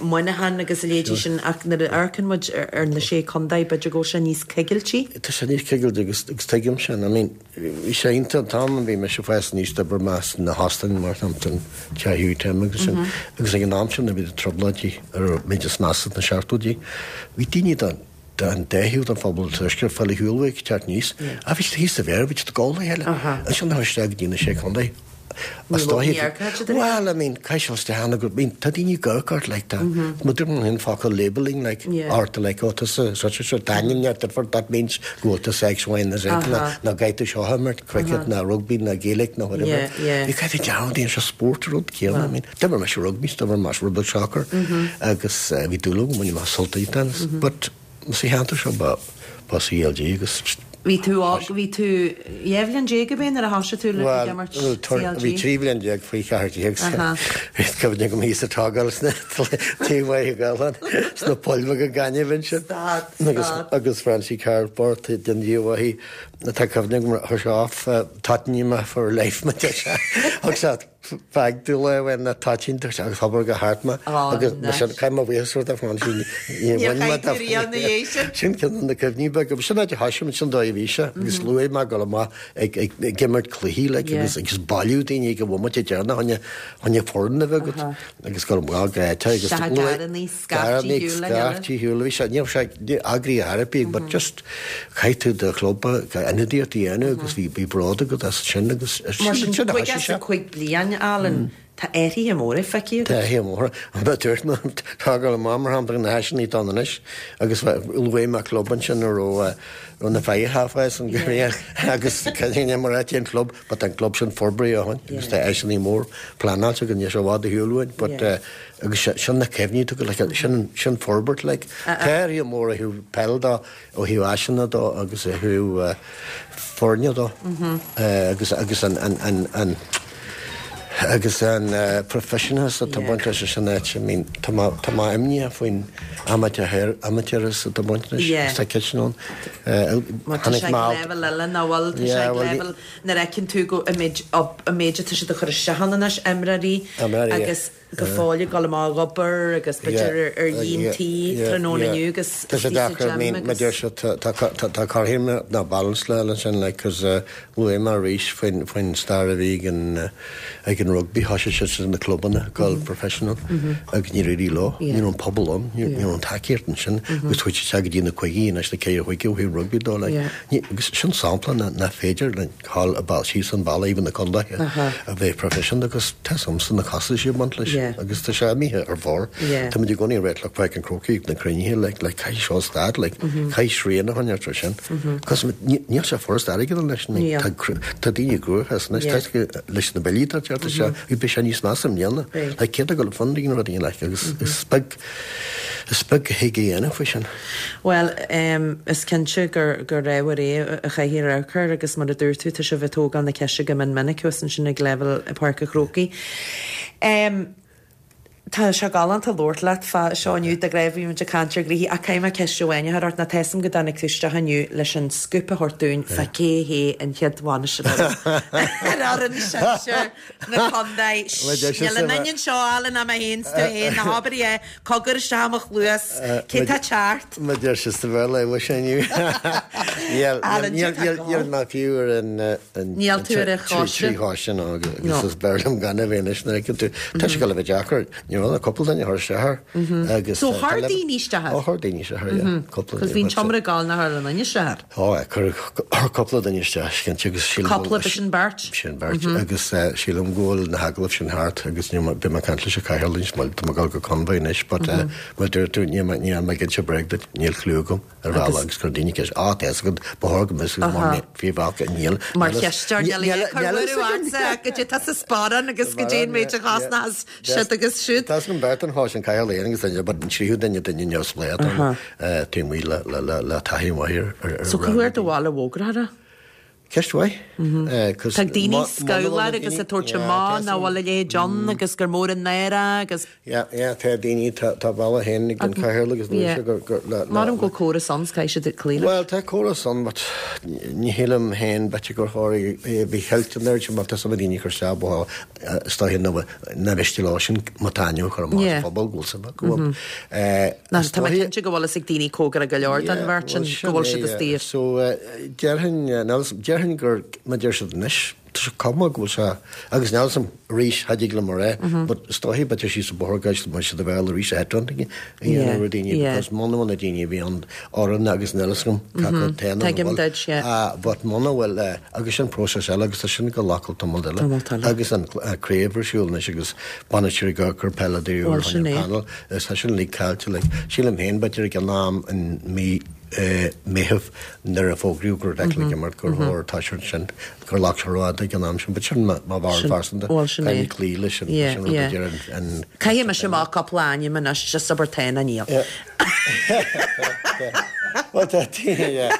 Muineachán agus a leithéidí sin ach nuair a amharcann muid ar na sé chontae b'fhéidir go bhfuil sé níos cigiltí. Tá sé níos cigilte agus agus tuigim sin I mean bhí sé iontach an t-am a bhí mise ag fás aníos d'oibir mé sna hóstáin mar shampla Teach Tim agus sin agus ag an am sin a bhí na trioblóidí ar méid sna na seachtóidí. Bhí daoine den den dá thaobh den phobal tuaisceart fáil shiúl ag teacht aníos. A bhí thíos sa bhéar bhí siad ag gabháil le chéile. Ansin na isteach go dtí na sé chontae. Ní raibh Well, I mean, caithfidh sé isteach go mean, tá daoine ag amharc ort like that. Má dúirt an focal labeling like Yeah. ort like oh tusa such a sort d'ainm that that means go bhfuil tusa X, Y and Z ná ná gaith tú seo mar cricket ná rugby ná Gaelic ná whatever. Yeah, yeah. Bhí caithfidh dearúd seo spórt rud céanna I mean, d'imir mise rugby, d'imir mise rugby soccer agus uh, bhí dúil agam bhain mé sult as but sa cheantar seo ba ba C L G agus Bhí tú á bhí tú dhá bhliain déag ab ea nuair a thosaigh tú le Well, imirt bhí C L G. trí bhliain déag faoi cheathair déag Aha. Cuimhním go mbíos ag tógáil sna taobh gálan sna poill go gaineamh sin. Stad, Agus stad. agus Francie Carport den díomhaí tá cuimhne go chuir sé off Tottenham me for life me sé Thug sé fag tú le bhain na toitín agus hobair go hart me Oh, agus nice. sin caiim a bhuíochas a Francie Níor chaith tú riamh na dhiaidh sin. Sin ceann na cuimhní beaga, sin áit a thosaigh sin dóigh a bhí sé agus luaigh mé go maith ag ag ag imirt cluichí like, Yeah. agus agus bailiú daoine go bhfuil déarna choinne choinne foireann a bheith agat agus go maith gaite agus Sea, garrannaí, scairtí shiúl a chéile. scairtí shiúl bhí sé ní sé eagraí therapy but just caithfidh tú do chlub ionadaíocht a dhéanamh agus bhí bhí bród agat as sin agus Mar sin sin a caoga thosaigh is sé. a cúig bliain Alan tá athruithe móra feicthe Tá hé mór an dúirt tá go mar shampla na háiseanna atá anois agus luaigh mé club ansin a raibh na Firehouse an gorí agus cad mar an club, but an club sin forbraithe ó shin agus tá áiseanna mór pleanáilte go sé bhád a shiúlhain, but Yeah. agus sin na cuimhní tú like, sin sin forbairt like tá mór a thaobh peile de ó thaobh áiseanna de agus a thaobh foirne de agus agus an an an an agus an uh, professionals atá Yeah. baint leis sin áit, I mean, tá má tá má imní faoin amateur amateurs atá baint leis Yeah. tá ceist ann. Má tá sé ag level eile ná bhfuil tá sé Yeah, ag well, level nuair a fheiceann tú go an méid an méid atá siad a chur isteach ann anois imreoirí Imreoirí, agus go fóill go amach ag obair agus b'fhéidir ar dhíontaí tráthnóna inniu agus Tá sé deacair I mean, ma deir sé tá carhim ná balance le sin like cos luaigh mé arís faoin faoin stair a bhí ag an ag an rugby thosaigh siad sin na clubanna go professional agus ní réí lo Yeah. ní an pobal ann ní an tacaíocht ansin agus chuaigh sé go dtí na caogaidí anois na ceithre chuige ó thaobh rugby de like Yeah. ní- agus sin sampla na na féidir le cháil a ball síos an balla even na contaetha Aha. a bheith professional agus tá samsa na costais a bhaint leis. Yeah. Agus tá sé imithe ar bharr. Tá muid i gcónaí ag rá le Páirc an Chrócaigh na cruinnithe like like caithfidh seo stad like caithfidh srian a choinneáil ar sin. Cos níl sé furast airgead anois tá tá daoine gruaithe anois tá leis na billí tá tá sé beidh sé níos measa i mbliana. Like céard a go funding rudaí like agus is beag is beag a thig a dhéanamh faoi sin. Well is cinnte gur gur ábhar é a chaithfidh amharc air agus mar a dúirt tú tá sibh ag tógáil na ceiste go mion minic thuas ansin ag leibhéal Páirc an Chrócaigh. Tá sé galánta labhairt leat fá seo inniu de ghnáth bhí muid ag caint ar ghnoithí ach caithfidh mé ceist amháin a chur ort nó tá a fhios agam go dtáinig tú isteach inniu leis an scoop a thabhairt dúinn fá cé hé an chéad bhainisteoir ar fhoireann sinsir na contae. Níl aon duine anseo Alan ná mé féin 's tú féin ná habair é cogar isteach i mo chluas cé tá teacht. Má deir sé sa Bhéarla é bhfuil sé inniu. Alan, Níl níl mé fiú ar an Níl tú ar an choiste. Trí choiste nó agus is b'fhearr liom gan a bheith anois nuair a fheiceann tú. Tá sé ag dul a bheith deacair. Ní raibh ach cúpla duine a chuir isteach air. Agus So chuir daoine isteach air? Ó chuir daoine isteach air, yeah. Cúpla Cos bhí an tseomra ag gabháil nach chuir aon duine isteach air. Ó, chuir cúpla duine isteach, cinnte, agus sílim Cúpla, b'shin beirt? Sin beirt agus sílim go bhfuil na hagallaimh sin thart agus níl mé, beidh mé ag caint leis an Chathaoirleach anois, tá mé ag dul go Conmhaigh anois, but mar a dúirt tú, níl mé, níl mé ag inse bréag duit, níl clue agam ar bhealach agus chuir daoine ceist, á, tá a fhios agat, ba chóir go mbeadh a fhios agat mar bhí bhealach, níl, Mar cheisteoir, níl a fhios ag cur ortsa goidé tá sa sparán agus goidé an méid a chosnós siad agus siúd. Tá an bheirt an cháis an Chathaoirleach agus duine, but an tríú duine duine neamhspleách ann, taobh amuigh le, le, le, le taithí mhaith ar, ar, So cá huair do mhaith le bhfógra air? Ceist mhaith. Tá daoine scamhlar agus ag tabhairt amach nach bhfuil a leithéid ann agus gur mór an náire agus. Yeah, yeah, tá daoine, tá, tá bealach féin ag an Chathaoirleach agus Yeah. gur, gur, le, le, Maram go bhfuil córas ann, caithfidh siad cloí leis. Well, tá córas ann, but ní shílim féin b'fhéidir gur chóir é a bheith cheilt an oiread sin, mar tá some daoine ag cur isteach bó, is dóiche na, na bhfios leo sin má tá ainm a chur amach sa phobal go bhfuil suim acu ann. Eh, Ná, is tá mé dóiche- cinnte go bhfuil fhios ag daoine cóngara go leor don bheirt sin go bhfuil siad istigh. So, eh, déarfainn, eh, níl fhios- déarfainn gur, má deir siad anois, tá sé cuma go bhfuil sé, agus níl fhios agam arís, cha dtig liom a rá, but is dóiche b'fhéidir síos an bóthar guys, má siad a bheith arís a headhunting a dhéanamh ar daoine, because muna bhfuil na daoine a bhí ann orainn agus níl fhios agam cé acu tá nó Tuigim bhfuil. duit, yeah. Ah, but muna bhfuil, eh, agus sin próiseas eile agus tá sin go lacáil tamall eile. Tamall eile. Agus an eh, craobh ar siúl anois agus bainisteoirí ag cur peileadóirí Bhuel, ar sin é. panel, is tá sin uilig caillte, like, sílim féin b'fhéidir ag an am in mí eh, Meitheamh nuair a fógraíodh go raibh Declan ag imirt gur chóir tá siad sin gur lag sé rófhada ag an am sin, but sin mo mo bharúil phearsanta. Bhuel, sin é. Caithfidh cloí leis an Yeah, leis an rud a yeah. deir an- an Caithfidh mise amach cúpla ainm anois just abair tá nó níl. Well, tá yeah.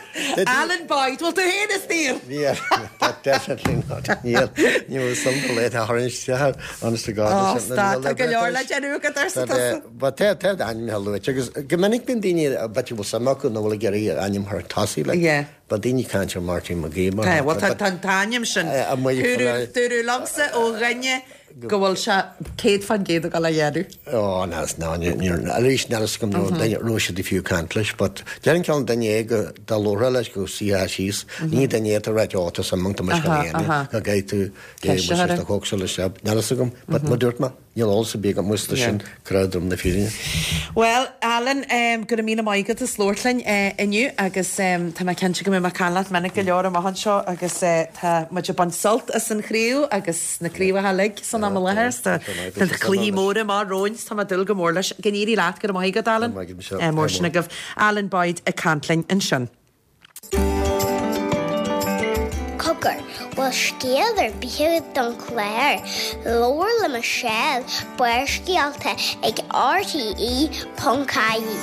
Alan Boyd, bhfuil tú féin istigh? Yeah, that definitely not. Níl ní some late a tharraing isteach, honest to God. Ó, stad, tá go leor le déanamh agat arsa tusa. But tá tá ainm a luaite agus go minic bíonn daoine b'fhéidir bhfuil suim acu nó bhfuil ag iarraidh ainm thar tosaigh, like, Yeah. but daoine caint ar Martin McGee mar Tá, bhuel, shampla, tá tá an t-ainm sin. Eh, amuigh Dúradh faoi- dúradh liomsa ó dhuine go bhfuil sé céad faoin gcéad ag dul a dhéanamh. Ó, ná, ná, níor, arís níl fhios agam nó duine raibh siad fiú caint leis, but déarfainn ceann duine é go dá labharfá leis go suífeá síos, ní duine é atá ráite, ó, tá suim agam, tá mise Aha, chun a dhéanamh, aha. go gcaithfidh tú, é, Ceist a muis chur. do chócsa leis seo, níl fhios agam, but má dúirt mé, níl eolas ar bith agam, muis tá sin crowd na fírinne. Well, Alan, um, go raibh míle maith agat as labhairt linn uh, inniu agus um, tá mé cinnte go mbeidh mé ag caint leat minic go leor amach anseo agus uh, tá muid ag baint sult as an chraobh agus na craobhacha uilig san am i láthair. Tá tá cluichí móra amach romhainn, tá mé ag dúil go mór leis. Go n-éirí leat, go raibh maith agat, Alan. Go raibh maith agat, Michelle. Eh, mór sin agaibh. Alan Boyd ag caint linn ansin. Cogar, bhfuil scéal ar bith agat don chlár, labhair le Michelle Barrscéalta ag RTE ponc ie.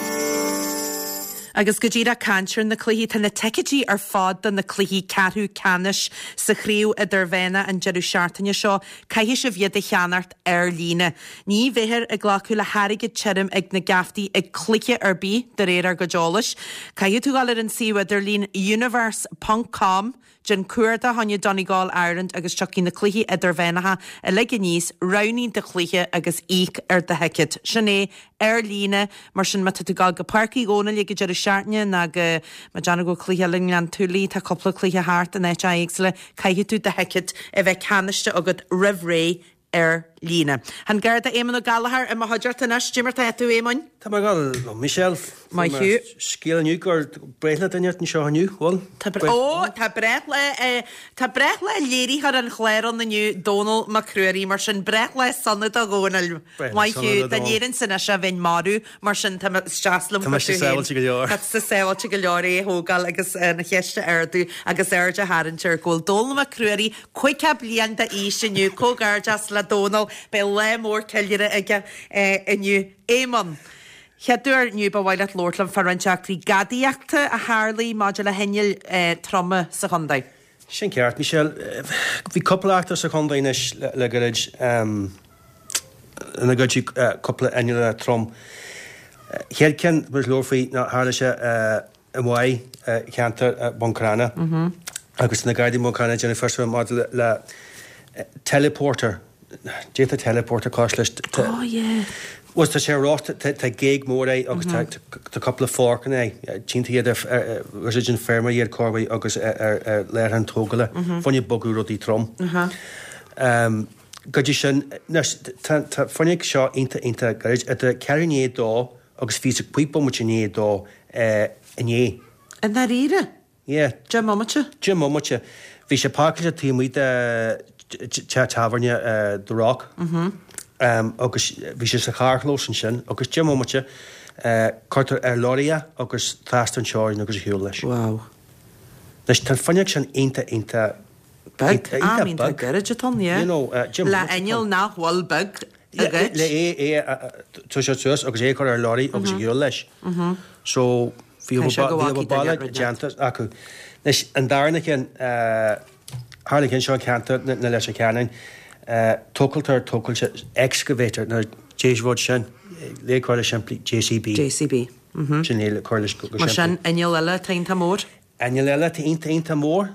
Agus go díreach caint ar na cluichí tá na ticéidí ar fad do na cluichí ceathrú ceannais sa chraobh idirmheánach an deireadh seachtaine seo, caithfidh sibh iad a cheannacht ar líne. Ní bheifear ag glacadh le hairgead tirim ag na geaftaí ag cluiche ar bith de réir ár gcuid eolais. Caithfidh tú dul ar an suíomh idirlín universe ponc com déan cuardach fá choinne Donegal Ireland agus tiocfaidh na cluichí idirmheánacha uilig aníos, roghnaigh do chluiche agus íoc ar do thicéad. Sin é ar líne mar sin má tá tú ag dul go Páirc Uí Dhónaill ag an deireadh seachtaine ná go má déanamh go cluiche eile i nGleann Túlaí, tá cúpla cluiche thart in áit éagsúla, caithfidh tú do thicéad a bheith ceannaithe agat roimh ré ar líne. An Garda Éamon Ó Gallchóir i mo chuideachta anois, Cad é mar tá tú Éamoin? Tá mé go maith Michelle. Maith thú. Scéal inniu gur breithlá duine anseo inniu, bhfuil? Ó, tá breithlá tá breithlá léiritheoir an chláir ann inniu Dónal Mac Ruairí mar sin breithlá sona do Dhónaill. Maith thú, dá ndéarfainnse anois é bheinn marbh mar sin tá deas liom Tá mise sábháilte go leor. Tá tusa sábháilte go leor é a thógáil agus an cheist a ardú agus aird a tharraingt air go bhfuil Dónal Mac Ruairí caoga bliain d'aois inniu, comhghairdeas le Dónal, beidh lá mór ceiliúradh aige inniu. Éamon. Chéad uair inniu ba mhaith leat labhairt liom fá roinnt eachtraí gadaíochta a tharlaigh maidir le hinnill troma sa chontae. Sin ceart, Michelle. Bhí cúpla eachtra sa chontae anois le gairid ina goideadh cúpla inneall trom. Chéad ceann ba leor faoi ná tharla sé i Maigh, ceantar Bhun Cranncha agus na Gardaí Bhun Cranncha ag déanamh fiosrú maidir le teleporter. D'fhéadfá teleporter cos leis. Oh yeah. Bhuel tá sé rosta, tá géag mór é agus tá tá cúpla forcanna é. Tínta iad ar ar an feirme iad corway agus ar ar láthair an tógála. Fá choinne bogadh rudaí trom. Um, go dtí sin, anois, tá tá fuinneog seo iontach iontach gairid idir ceathrú i ndiaidh a dó agus fiche is cúig bomaite i ndiaidh a dó inné. I ndáiríre? Yeah. Deich mbomaite? Deich mbomaite. Bhí sé páirceáilte taobh amuigh de teach tábhairne The Rock agus bhí sé sa charrchlós ansin agus deich mbomaite cuirtear ar lorry é agus trasna an teorainn agus ar shiúl leis. Wow. Anois tá an fuinneog sin iontach iontach Beag. Ah, I mean tá gairid atá ann, yeah. You know, deich Le mbomaite atá inneall ann. nach bhfuil beag a Yeah, ghoid. le é é a toiseacht suas agus é a chur ar lorry agus ar shiúl leis. So bhí Tá sé go bhí bhfacaí baile duine déanta acu. Anois an darna ceann tharla an ceann seo i gceantar na Leitir Ceanainn, tochaltóir tochailte excavator nó dé rud sin le cur le simplí JCB. JCB. Sin é le cur leis go Mar sin simplí. inneall eile atá iontach mór? Inneall eile atá iontach iontach mór.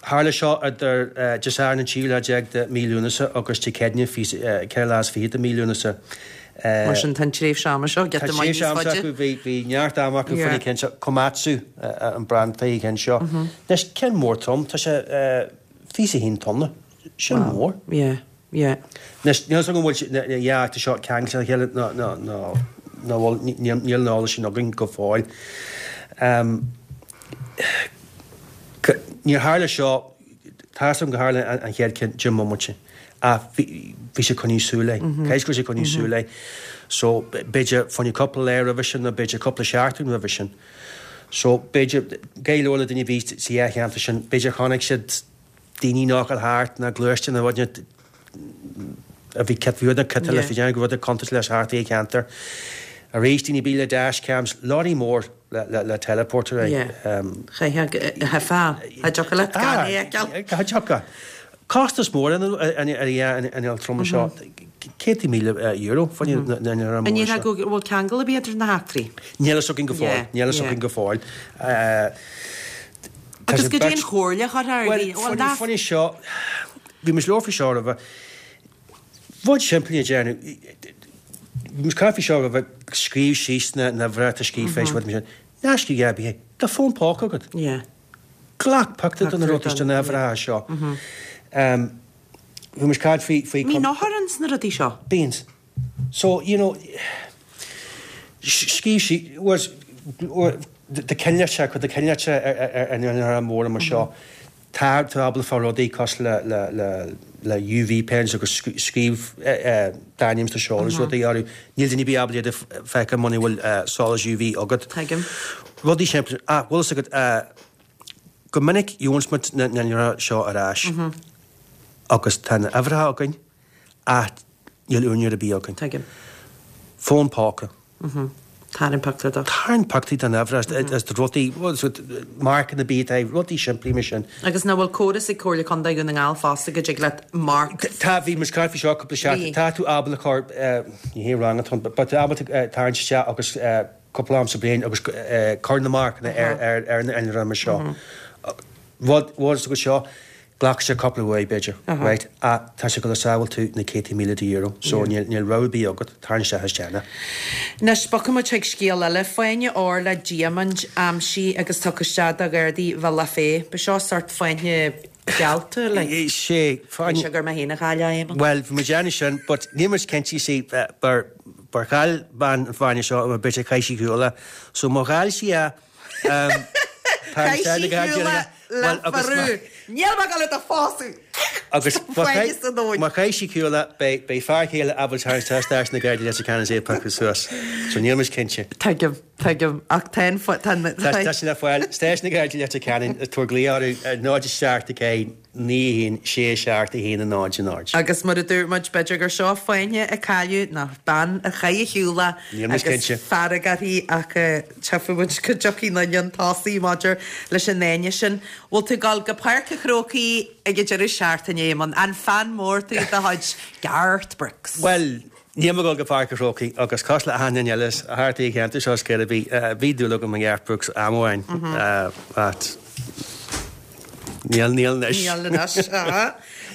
Tharla seo idir Dé Sathairn an tríú lá déag de mí Lúnasa agus Dé Céadaoine ceithre lá is fiche de mí Lúnasa. Mar sin tá an tréimhse ama seo Tá giota maith tréimhse níos ama faide. acu, bhí bhí neart ama acu Yeah. faoina ceann seo. Komatsu an brand faoi cheann seo. Anois ceann mór trom, tá sé fiche a haon tonna. Sin mór. Yeah, yeah. Anois níl a fhios agam an bhfuil na dhá eachtra seo ceangailte le chéile nó nó nó nó bhfuil níl níl an eolas sin againn go fóill. Níor tharla seo, tá a fhios agam gur tharla an chéad ceann deich mbomaite ach bhí bhí sé coinní súil é. Cé go raibh sé coinní súil é. So b'fhéidir fá choinne cúpla lá roimhe sin nó b'fhéidir cúpla seachtain roimhe sin. So b'fhéidir go leor le daoine a bhí sa dhá cheantar sin, b'fhéidir chonaic siad daoine nach bhfuil thart ná gluaiste nó rud a bhí cit bhí rud cite le fi go rud contúirt leis thart i gceantar. Arís daoine bí le dashcams, lorry mór le le le teleporter é. Chaithfeá cha dtiocfadh leat gan é a fheiceáil. Cha dtiocfadh. Costas mór an inneall troma seo, céadta míle euro fá choinne na n-inneall An mór ndéarfá seo. go bhfuil ceangal ar bith idir na heachtraí? Níl a fhios againn go fóill. Níl a fhios againn go fóill. Tá Agus sé go dtí beirt- an chomhairle a chur ar Bhuel, dhaoine. Bhuel, fá nach- choinne seo, bhí muid labhairt faoi seo roimhe. Rud simplí a déanamh. Bhí muid caint faoi seo roimhe, scríobh síos na na bhreata scríofa is rud mar sin. Ná scríobh ar bith é. Tá fón póca agat. Yeah. Glac pictiúr de na Pictiúr rudaí den- den yeah. uimhreacha seo. Bhí muid caint faoi faoi Bíonn othar ins na rudaí seo. Bíonn. So, you know, scríobh sí, was, de cinnte, chun de cinnte ar an ar an mór mar seo. Tá tú ábalta fáil rudaí cosúil le le le le UV pens agus scríobh d'ainm is do sheoladh is rudaí orthu. Níl duine ar bith ábalta iad a feiceáil muna bhfuil solas UV agat. Tuigim. Rudaí simplí. Ah, bhfuil fhios agat go minic gheobhann muid na na seo ar ais agus tá na uimhreacha againn ach níl úinéir ar bith againn. Tuigim. Fón póca. Tarraing pictiúr de. Tarraing pictiúr den uimhir is de rudaí, marcanna bith, rudaí simplí mar sin. Agus nach bhfuil córas ag Comhairle Contae Dhún na nGall fosta go dtig leat marc. Tá bhí muid caint faoi seo cúpla seachtain. Bhí. Tá tú ábalta chur ní hé rang atá, but tá ábalta tarraingt isteach agus cúpla am sa bhliain agus cur na marcanna ar ar ar na innealra mar seo. Rud rud go seo ghlac sé cúpla uair b'fhéidir, right? Ach tá sé go le sábháil tú na céadta míle de euro, so níl níl rogha ar bith agat, tarraing isteach is déan é. Anois bogfaidh muid chuig scéal eile, fáinne óir le diamaint aimsithe agus tugtha isteach do Ghardaí Bhealach Féich. Ba seo sort fáinne Geallta like. Sé Sé gur mé féin a chaill é, Éamonn. Well, bhí muid déanamh sin, but níl muid cinnte see bar bar chaill bean an fáinne seo mar b'fhéidir chaith sí cúla. So má chaill sí é um, Chaith sí cúla le farú. Níl mé ag gabháil do phósadh. Agus Fáinne sa dóigh. má chaith sí cúla beidh beidh fear chéile ábalta tarraingt na Gardaí Leitir Ceanainn é a phiocadh suas. So níl muid cinnte. Tuigim, tuigim, ach tá an fo- tá an- Tá tá sin le fáil stáisiún na Gardaí Leitir Ceanainn tabhair glao orthu ar náid a seacht a ceathair naoi haon sé seacht a haon a náid a náid. Agus mar a dúirt muid b'fhéidir gur seo fáinne a cailleadh ná bean a chaith a shiúla Níl muid agus cinnte. fearg uirthi ach eh, tchífidh muid go dtiocfaidh na an tosaí maidir leis an fháinne sin. Bhfuil tú ag gabháil go Páirc an Chrócaigh ag an deireadh seachtaine Éamonn, an fan mór tú de chuid Garth Brooks. Well, níl mé ag gabháil go Páirc an Chrócaigh agus cosúil le achan duine eile thart ar an cheantar seo scéal bhí bhí dúil agam i Garth Brooks am amháin ach níl níl anois. Níl anois. aha.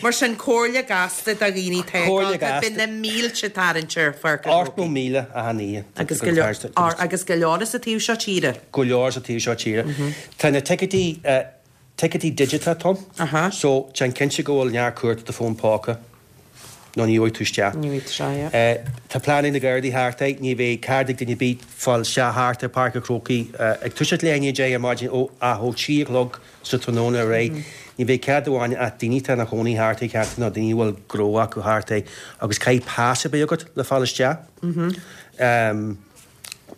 Mar sin comhairle gasta do dhaoine Comhairle tá gasta. Bíonn na mílte tarraingt ar Pháirc an Ocht nó Chrócaigh. míle achan oíche. Agus go leor ar- agus go leor sa taobh seo tíre. go leor sa taobh seo tíre. Tá na ticéidí ticéidí digiteach ann, Aha. so déan cinnte go bhfuil neart cumhacht i do fón póca nó ní bhfaighidh tú isteach. Ní bhfaighidh tú, yeah. Eh, Tá plean na Gardaí thart é, ní bheidh cead ag duine ar bith fáil isteach thart ar Páirc an Chrócaigh ag toiseacht le haon déag ar maidin ó a ó trí a chlog sa tráthnóna ar aghaidh. Ní bheidh cead amháin ach daoine atá ina chónaí thart ar cheantar nó daoine a bhfuil gnó acu thart é agus caithfidh pas a bheith agat le fáil isteach. Um,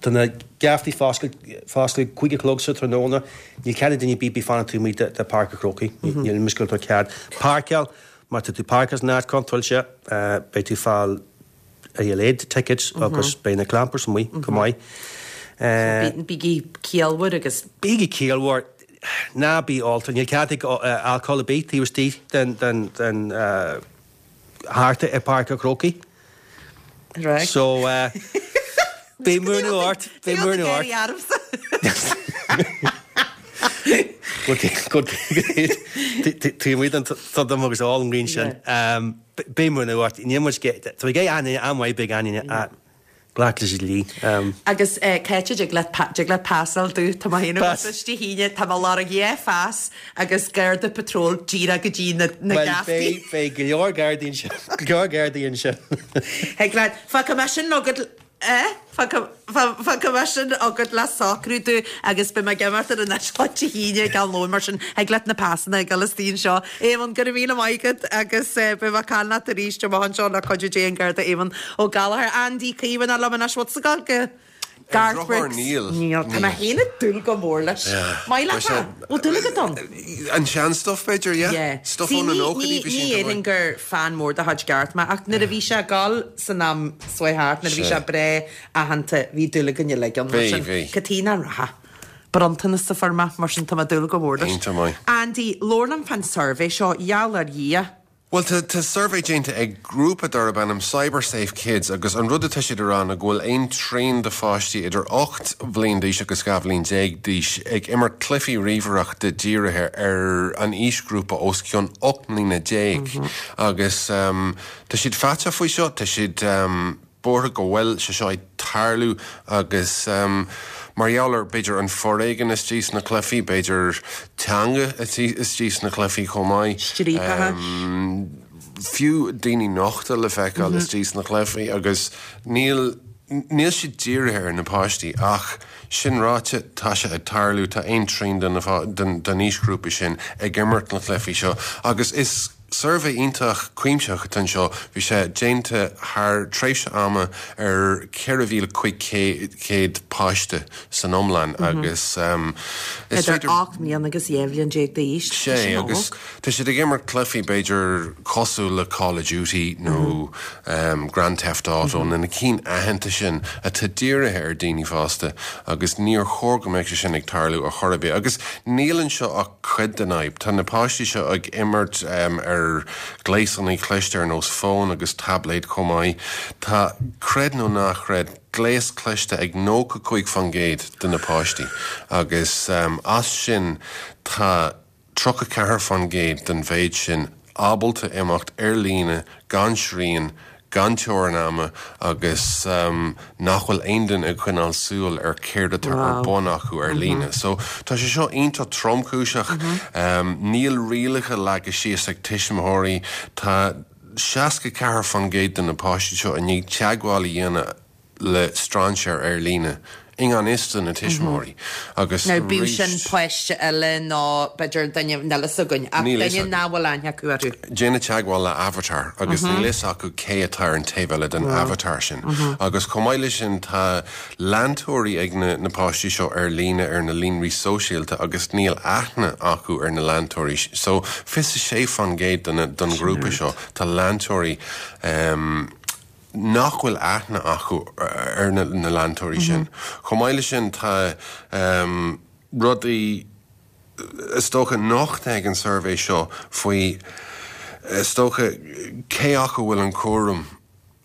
Tá na geaftaí foscailt cúig a chlog sa tráthnóna, níl cead ag duine ar bith fanacht taobh amuigh de de Páirc an Chrócaigh, níl mis go cead. Páirceáil, má tá tú páirceáilte san áit contúirteach, beidh tú fáil a leithéid tickets agus beidh na clampers amuigh go maith. Eh, Bígí ciallmhar agus Bígí ciallmhar ná bí ólta, níl cead ag alcohol ar bith taobh istigh den den den uh, thart ar Páirc an Chrócaigh. Right. So uh, beidh múineadh ort, beidh múineadh ort. Tá muid an dom agus all an ríon sin. Beidh múineadh ort, ní muid tá gé aine an-mhaith beidh aine a glac leis an dlí. Agus Ceite dtig leat dtig leat pasáil dú tá mé féin Pas. agus Dé hAoine tá mé lorg dhá phas agus Garda Patrol díreach go dtí na na Well, geaftaí. beidh beidh go leor Gardaí ansin, go leor Gardaí ansin. Thig leat fágfaidh mé sin agat eh Fágfaidh mé sin agat le socrú dú agus beidh mé ag imeacht ar an Dé hAoine ag am lóin mar sin thig leat na pasanna ag dul istigh anseo. Éamonn go raibh míle maith agat agus eh, beidh mé ag caint leat arís amach anseo le cuidiú Dé an Garda Éamonn Ó Gallchóir Andy Caoimhín liom anois what's the goal go Garth drochuair, Brooks. níl. Níl Tá mé Níl. féin ag dúil go mór leis. Yeah. Maith leat Tá sé- Bhfuil dúil agat ann? An sean stuff b'fhéidir, yeah? Yeah. Stuff See, ón na ní- nóchaidí ní bhí sin ní go éireann maith. gur fan mór de chuid Garth mé ach nuair a bhí sé ag gabháil san am seo thart nuair a bhí Sé. sé breá aitheanta bhí dúil againn uilig ann, mar Bhí, sin bhí. Caitríona Ratha. Bronntanas sa forma mar sin tá mé ag dúil go mór leis. Iontach maith. Andy, labhair liom fán suirbhé seo gheall ar Dhia. Well tá tá suirbhé déanta ag grúpa darb ainm CyberSafe Kids agus an rud atá siad a rá ná go bhfuil aon trian de pháistí idir ocht bhliain d'aois agus dhá bhliain déag d'aois ag imirt cluichí ríomhaireachta dírithe ar an aoisghrúpa os cionn ocht mbliana déag agus um, tá siad faiteach faoi seo tá siad um, buartha go bhfuil sé seo ag tarlú agus um, mar gheall ar b'fhéidir an foréigean istigh sna cluichí, b'fhéidir teanga istigh sna cluichí chomh maith. Striapacha. Um, fiú daoine nochta le feiceáil istigh sna cluichí agus níl níl siad dírithe ar na páistí ach sin ráite tá sé ag tarlú tá aon trian den den den aoisghrúpa sin ag imirt na cluichí seo agus is suirbhé iontach cuimsitheach atá anseo bhí sé déanta thar tréimhse ama ar ceithre mhíle cúig chéad páiste san iomlán agus um, is Idir féidir- ocht mbliana agus dhá bhliain déag d'aois. Sé agus tá siad ag imirt cluichí b'fhéidir cosúil le Call of Duty nó um, Grand Theft Auto na na cinn aitheanta sin atá dírithe ar daoine fásta agus níor chóir go mbeadh sé sin ag tarlú ar chor ar bith. Agus níl anseo ach cuid den fhadhb. Tá na páistí seo ag imirt um, ar gléasanna cliste ar nós fón agus tablet chomh maith. Tá creid nó ná creid gléas cliste ag nócha cúig faoin gcéad de na páistí. Agus um, as sin tá tríocha ceathair faoin gcéad den mhéid sin ábalta imeacht ar líne gan srian gan teorainn ama agus um, nach bhfuil aon duine ag coinneáil súil ar céard atá ar bun acu ar líne. So tá sé seo iontach tromchúiseach um, níl rialacha leagtha síos ag tuismitheoirí tá seasca ceathair faoin gcéad de na páistí seo i ndiaidh teagmháil a dhéanamh le strainséir ar líne i ngan fhios do na tuismitheoirí agus Now bíodh sin páiste eile nó b'fhéidir duine níl a fhios againn ach Níl a fhios duine againn. nach bhfuil aithne acu orthu. Déanamh teagmháil le avatar agus níl a fhios acu cé atá ar an taobh eile den avatar sin. Agus chomh maith leis sin tá leantóirí ag na, na páistí seo ar líne ar na líonraí sóisialta agus níl aithne acu ar na leantóirí. So fiche sé faoin gcéad den, den ghrúpa seo tá leantóirí um, nach bhfuil aithne acu ar na, na leantóirí sin. Chomh maith leis sin tá um, rudaí is dócha nochta ag an suirbhé seo faoi is dócha cé acu bhfuil an cúram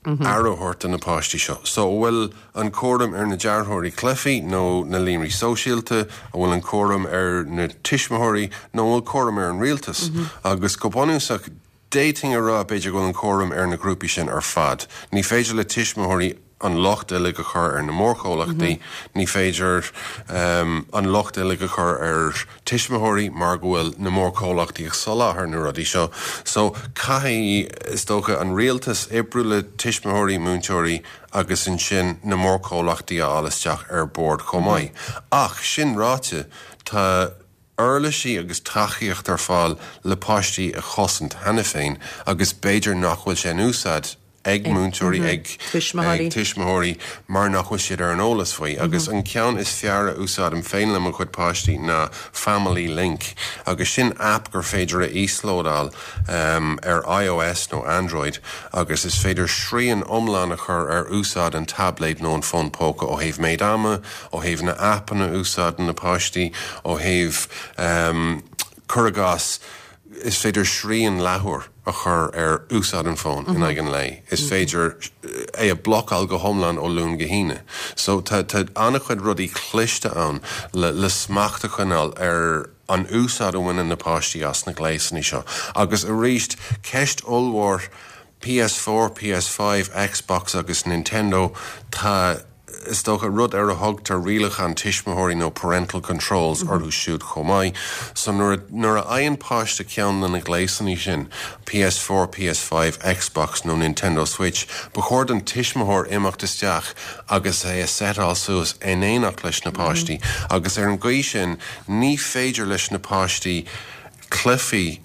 aire a thabhairt do na páistí seo. So bhfuil an cúram ar na dearthóirí cluichí nó na líonraí sóisialta, an bhfuil an cúram ar na tuismitheoirí nó bhfuil cúram ar an rialtas. Agus go bunúsach d'fhéadfainn a rá b'fhéidir go bhfuil an cúram ar na grúpaí sin ar fad. Ní féidir le tuismitheoirí an locht uilig a chur ar na mórchomhlachtaí, ní féidir um, an locht uilig a chur ar tuismitheoirí mar go bhfuil na mórchomhlachtaí ag soláthar na rudaí seo. So caithfidh is dócha an rialtas oibriú le tuismitheoirí múinteoirí agus ansin na mórchomhlachtaí a fháil isteach ar bord chomh maith. Ach sin ráite tá uirlisí agus tacaíocht ar fáil le páistí a chosaint cheana féin agus b'fhéidir nach bhfuil sé in úsáid ag múinteoirí ag Tuismitheoirí. ag tuismitheoirí mar nach bhfuil siad ar an eolas faoi agus an ceann is fearr a úsáidim féin le mo chuid páistí ná Family Link agus sin app gur féidir a íoslódáil um, ar iOS nó Android agus is féidir srian iomlán a chur ar úsáid an tablet nó an fón póca ó thaobh méid ama, ó thaobh na appanna úsáideann na páistí, ó thaobh um, cur i gcás is féidir srian leathuair a chur ar úsáid an fón in aghaidh an lae. Is féidir é a bhlocáil go hiomlán ó Luan go hAoine. So tá tá an-chuid rudaí cliste ann le, le smacht a choinneáil ar an úsáid a bhaineann na páistí as na gléasanna seo. Agus arís ceist ollmhór P S four, P S five, Xbox agus Nintendo tá is dócha rud ar a thugtar rialacháin tuismitheoirí nó parental controls orthu siúd chomh maith. So nuair nuair a fhaigheann páiste ceann de na gléasanna sin P S four, P S five, Xbox nó Nintendo Switch, ba chóir don tuismitheoir imeacht isteach agus é a setáil suas in éineacht leis na páistí. Agus ar an gcaoi sin ní féidir leis na páistí cluichí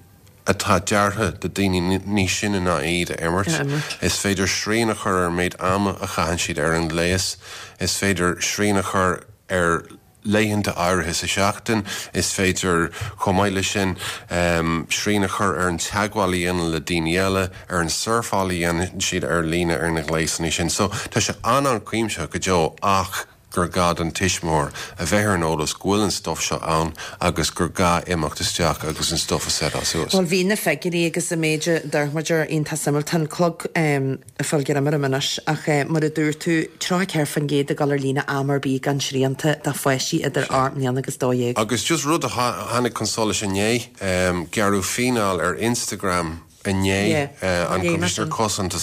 atá deartha do daoine níos sine ná iad a imirt. A imirt. Is féidir srian a chur ar méid ama a chaitheann siad ar an ngléas, is féidir srian a chur ar laethanta áirithe sa seachtain, is féidir chomh maith leis sin um, srian a chur ar an teagmháil a dhéanamh le daoine eile, ar an surfáil a dhéanann siad ar líne ar na gléasanna sin. So tá sé an-an-chuimsitheach go deo ach gur gá don tuismitheoir a bheith ar an eolas go bhfuil an stuff seo ann agus gur gá imeacht isteach agus an stuff a setáil suas. Well bhí na figiúirí agus an méid a dúirt muid iontach suimiúil tá an clog um, fáil go mar anois ach uh, mar a dúirt tú tríocha ceathair faoin gcéad ag dul ar líne am ar bith gan srianta do pháistí idir ocht mbliana agus dó dhéag. Agus just rud a tháinig chun solais inné um, gearradh fíneáil ar Instagram inné Yeah. uh, an Inné, Coimisinéir mar sin. Cosanta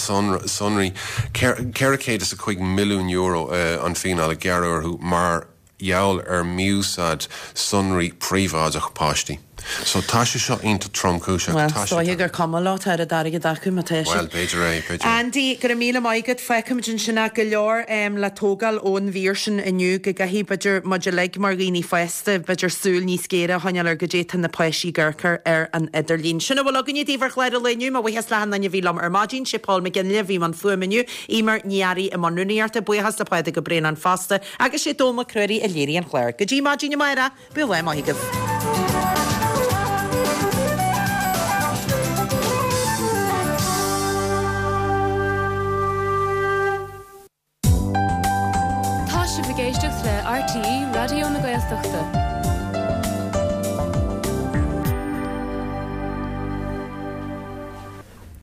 Sonraí ceithre chéad is a cúig milliún euro uh, an fíneáil a gearradh orthu mar gheall ar mhí-úsáid sonraí príobháideach páistí. So tá sé seo iontach tromchúiseach. Well, tá sé stoigh gur cuma leo tá airgead acu má tá Well, b'fhéidir é, b'fhéidir. Andy go raibh míle maith agat feicimid ansin go leor um, le tógáil ón mhír sin inniu go gcaithfidh b'fhéidir muid uilig mar dhaoine fásta b'fhéidir súil níos géire a choinneáil ar goidé tá na páistí ag amharc air ar an idirlíon. Sin a bhfuil againne daoibh ar chlár an lae inniu mo bhuíochas le haon duine a bhí liom ar maidin sé Paul McGinley bhí an fuaim inniu Emer Ní Fhearraigh i mbun rúnaíochta buíochas le Pádraig Ó Braonáin fosta agus sé Dónall Mac Ruairí a léirigh an clár. Go dtí maidin amárach, bíodh lá maith agaibh. Tá sibh ag éisteacht le R T E Raidió na Gaeltachta.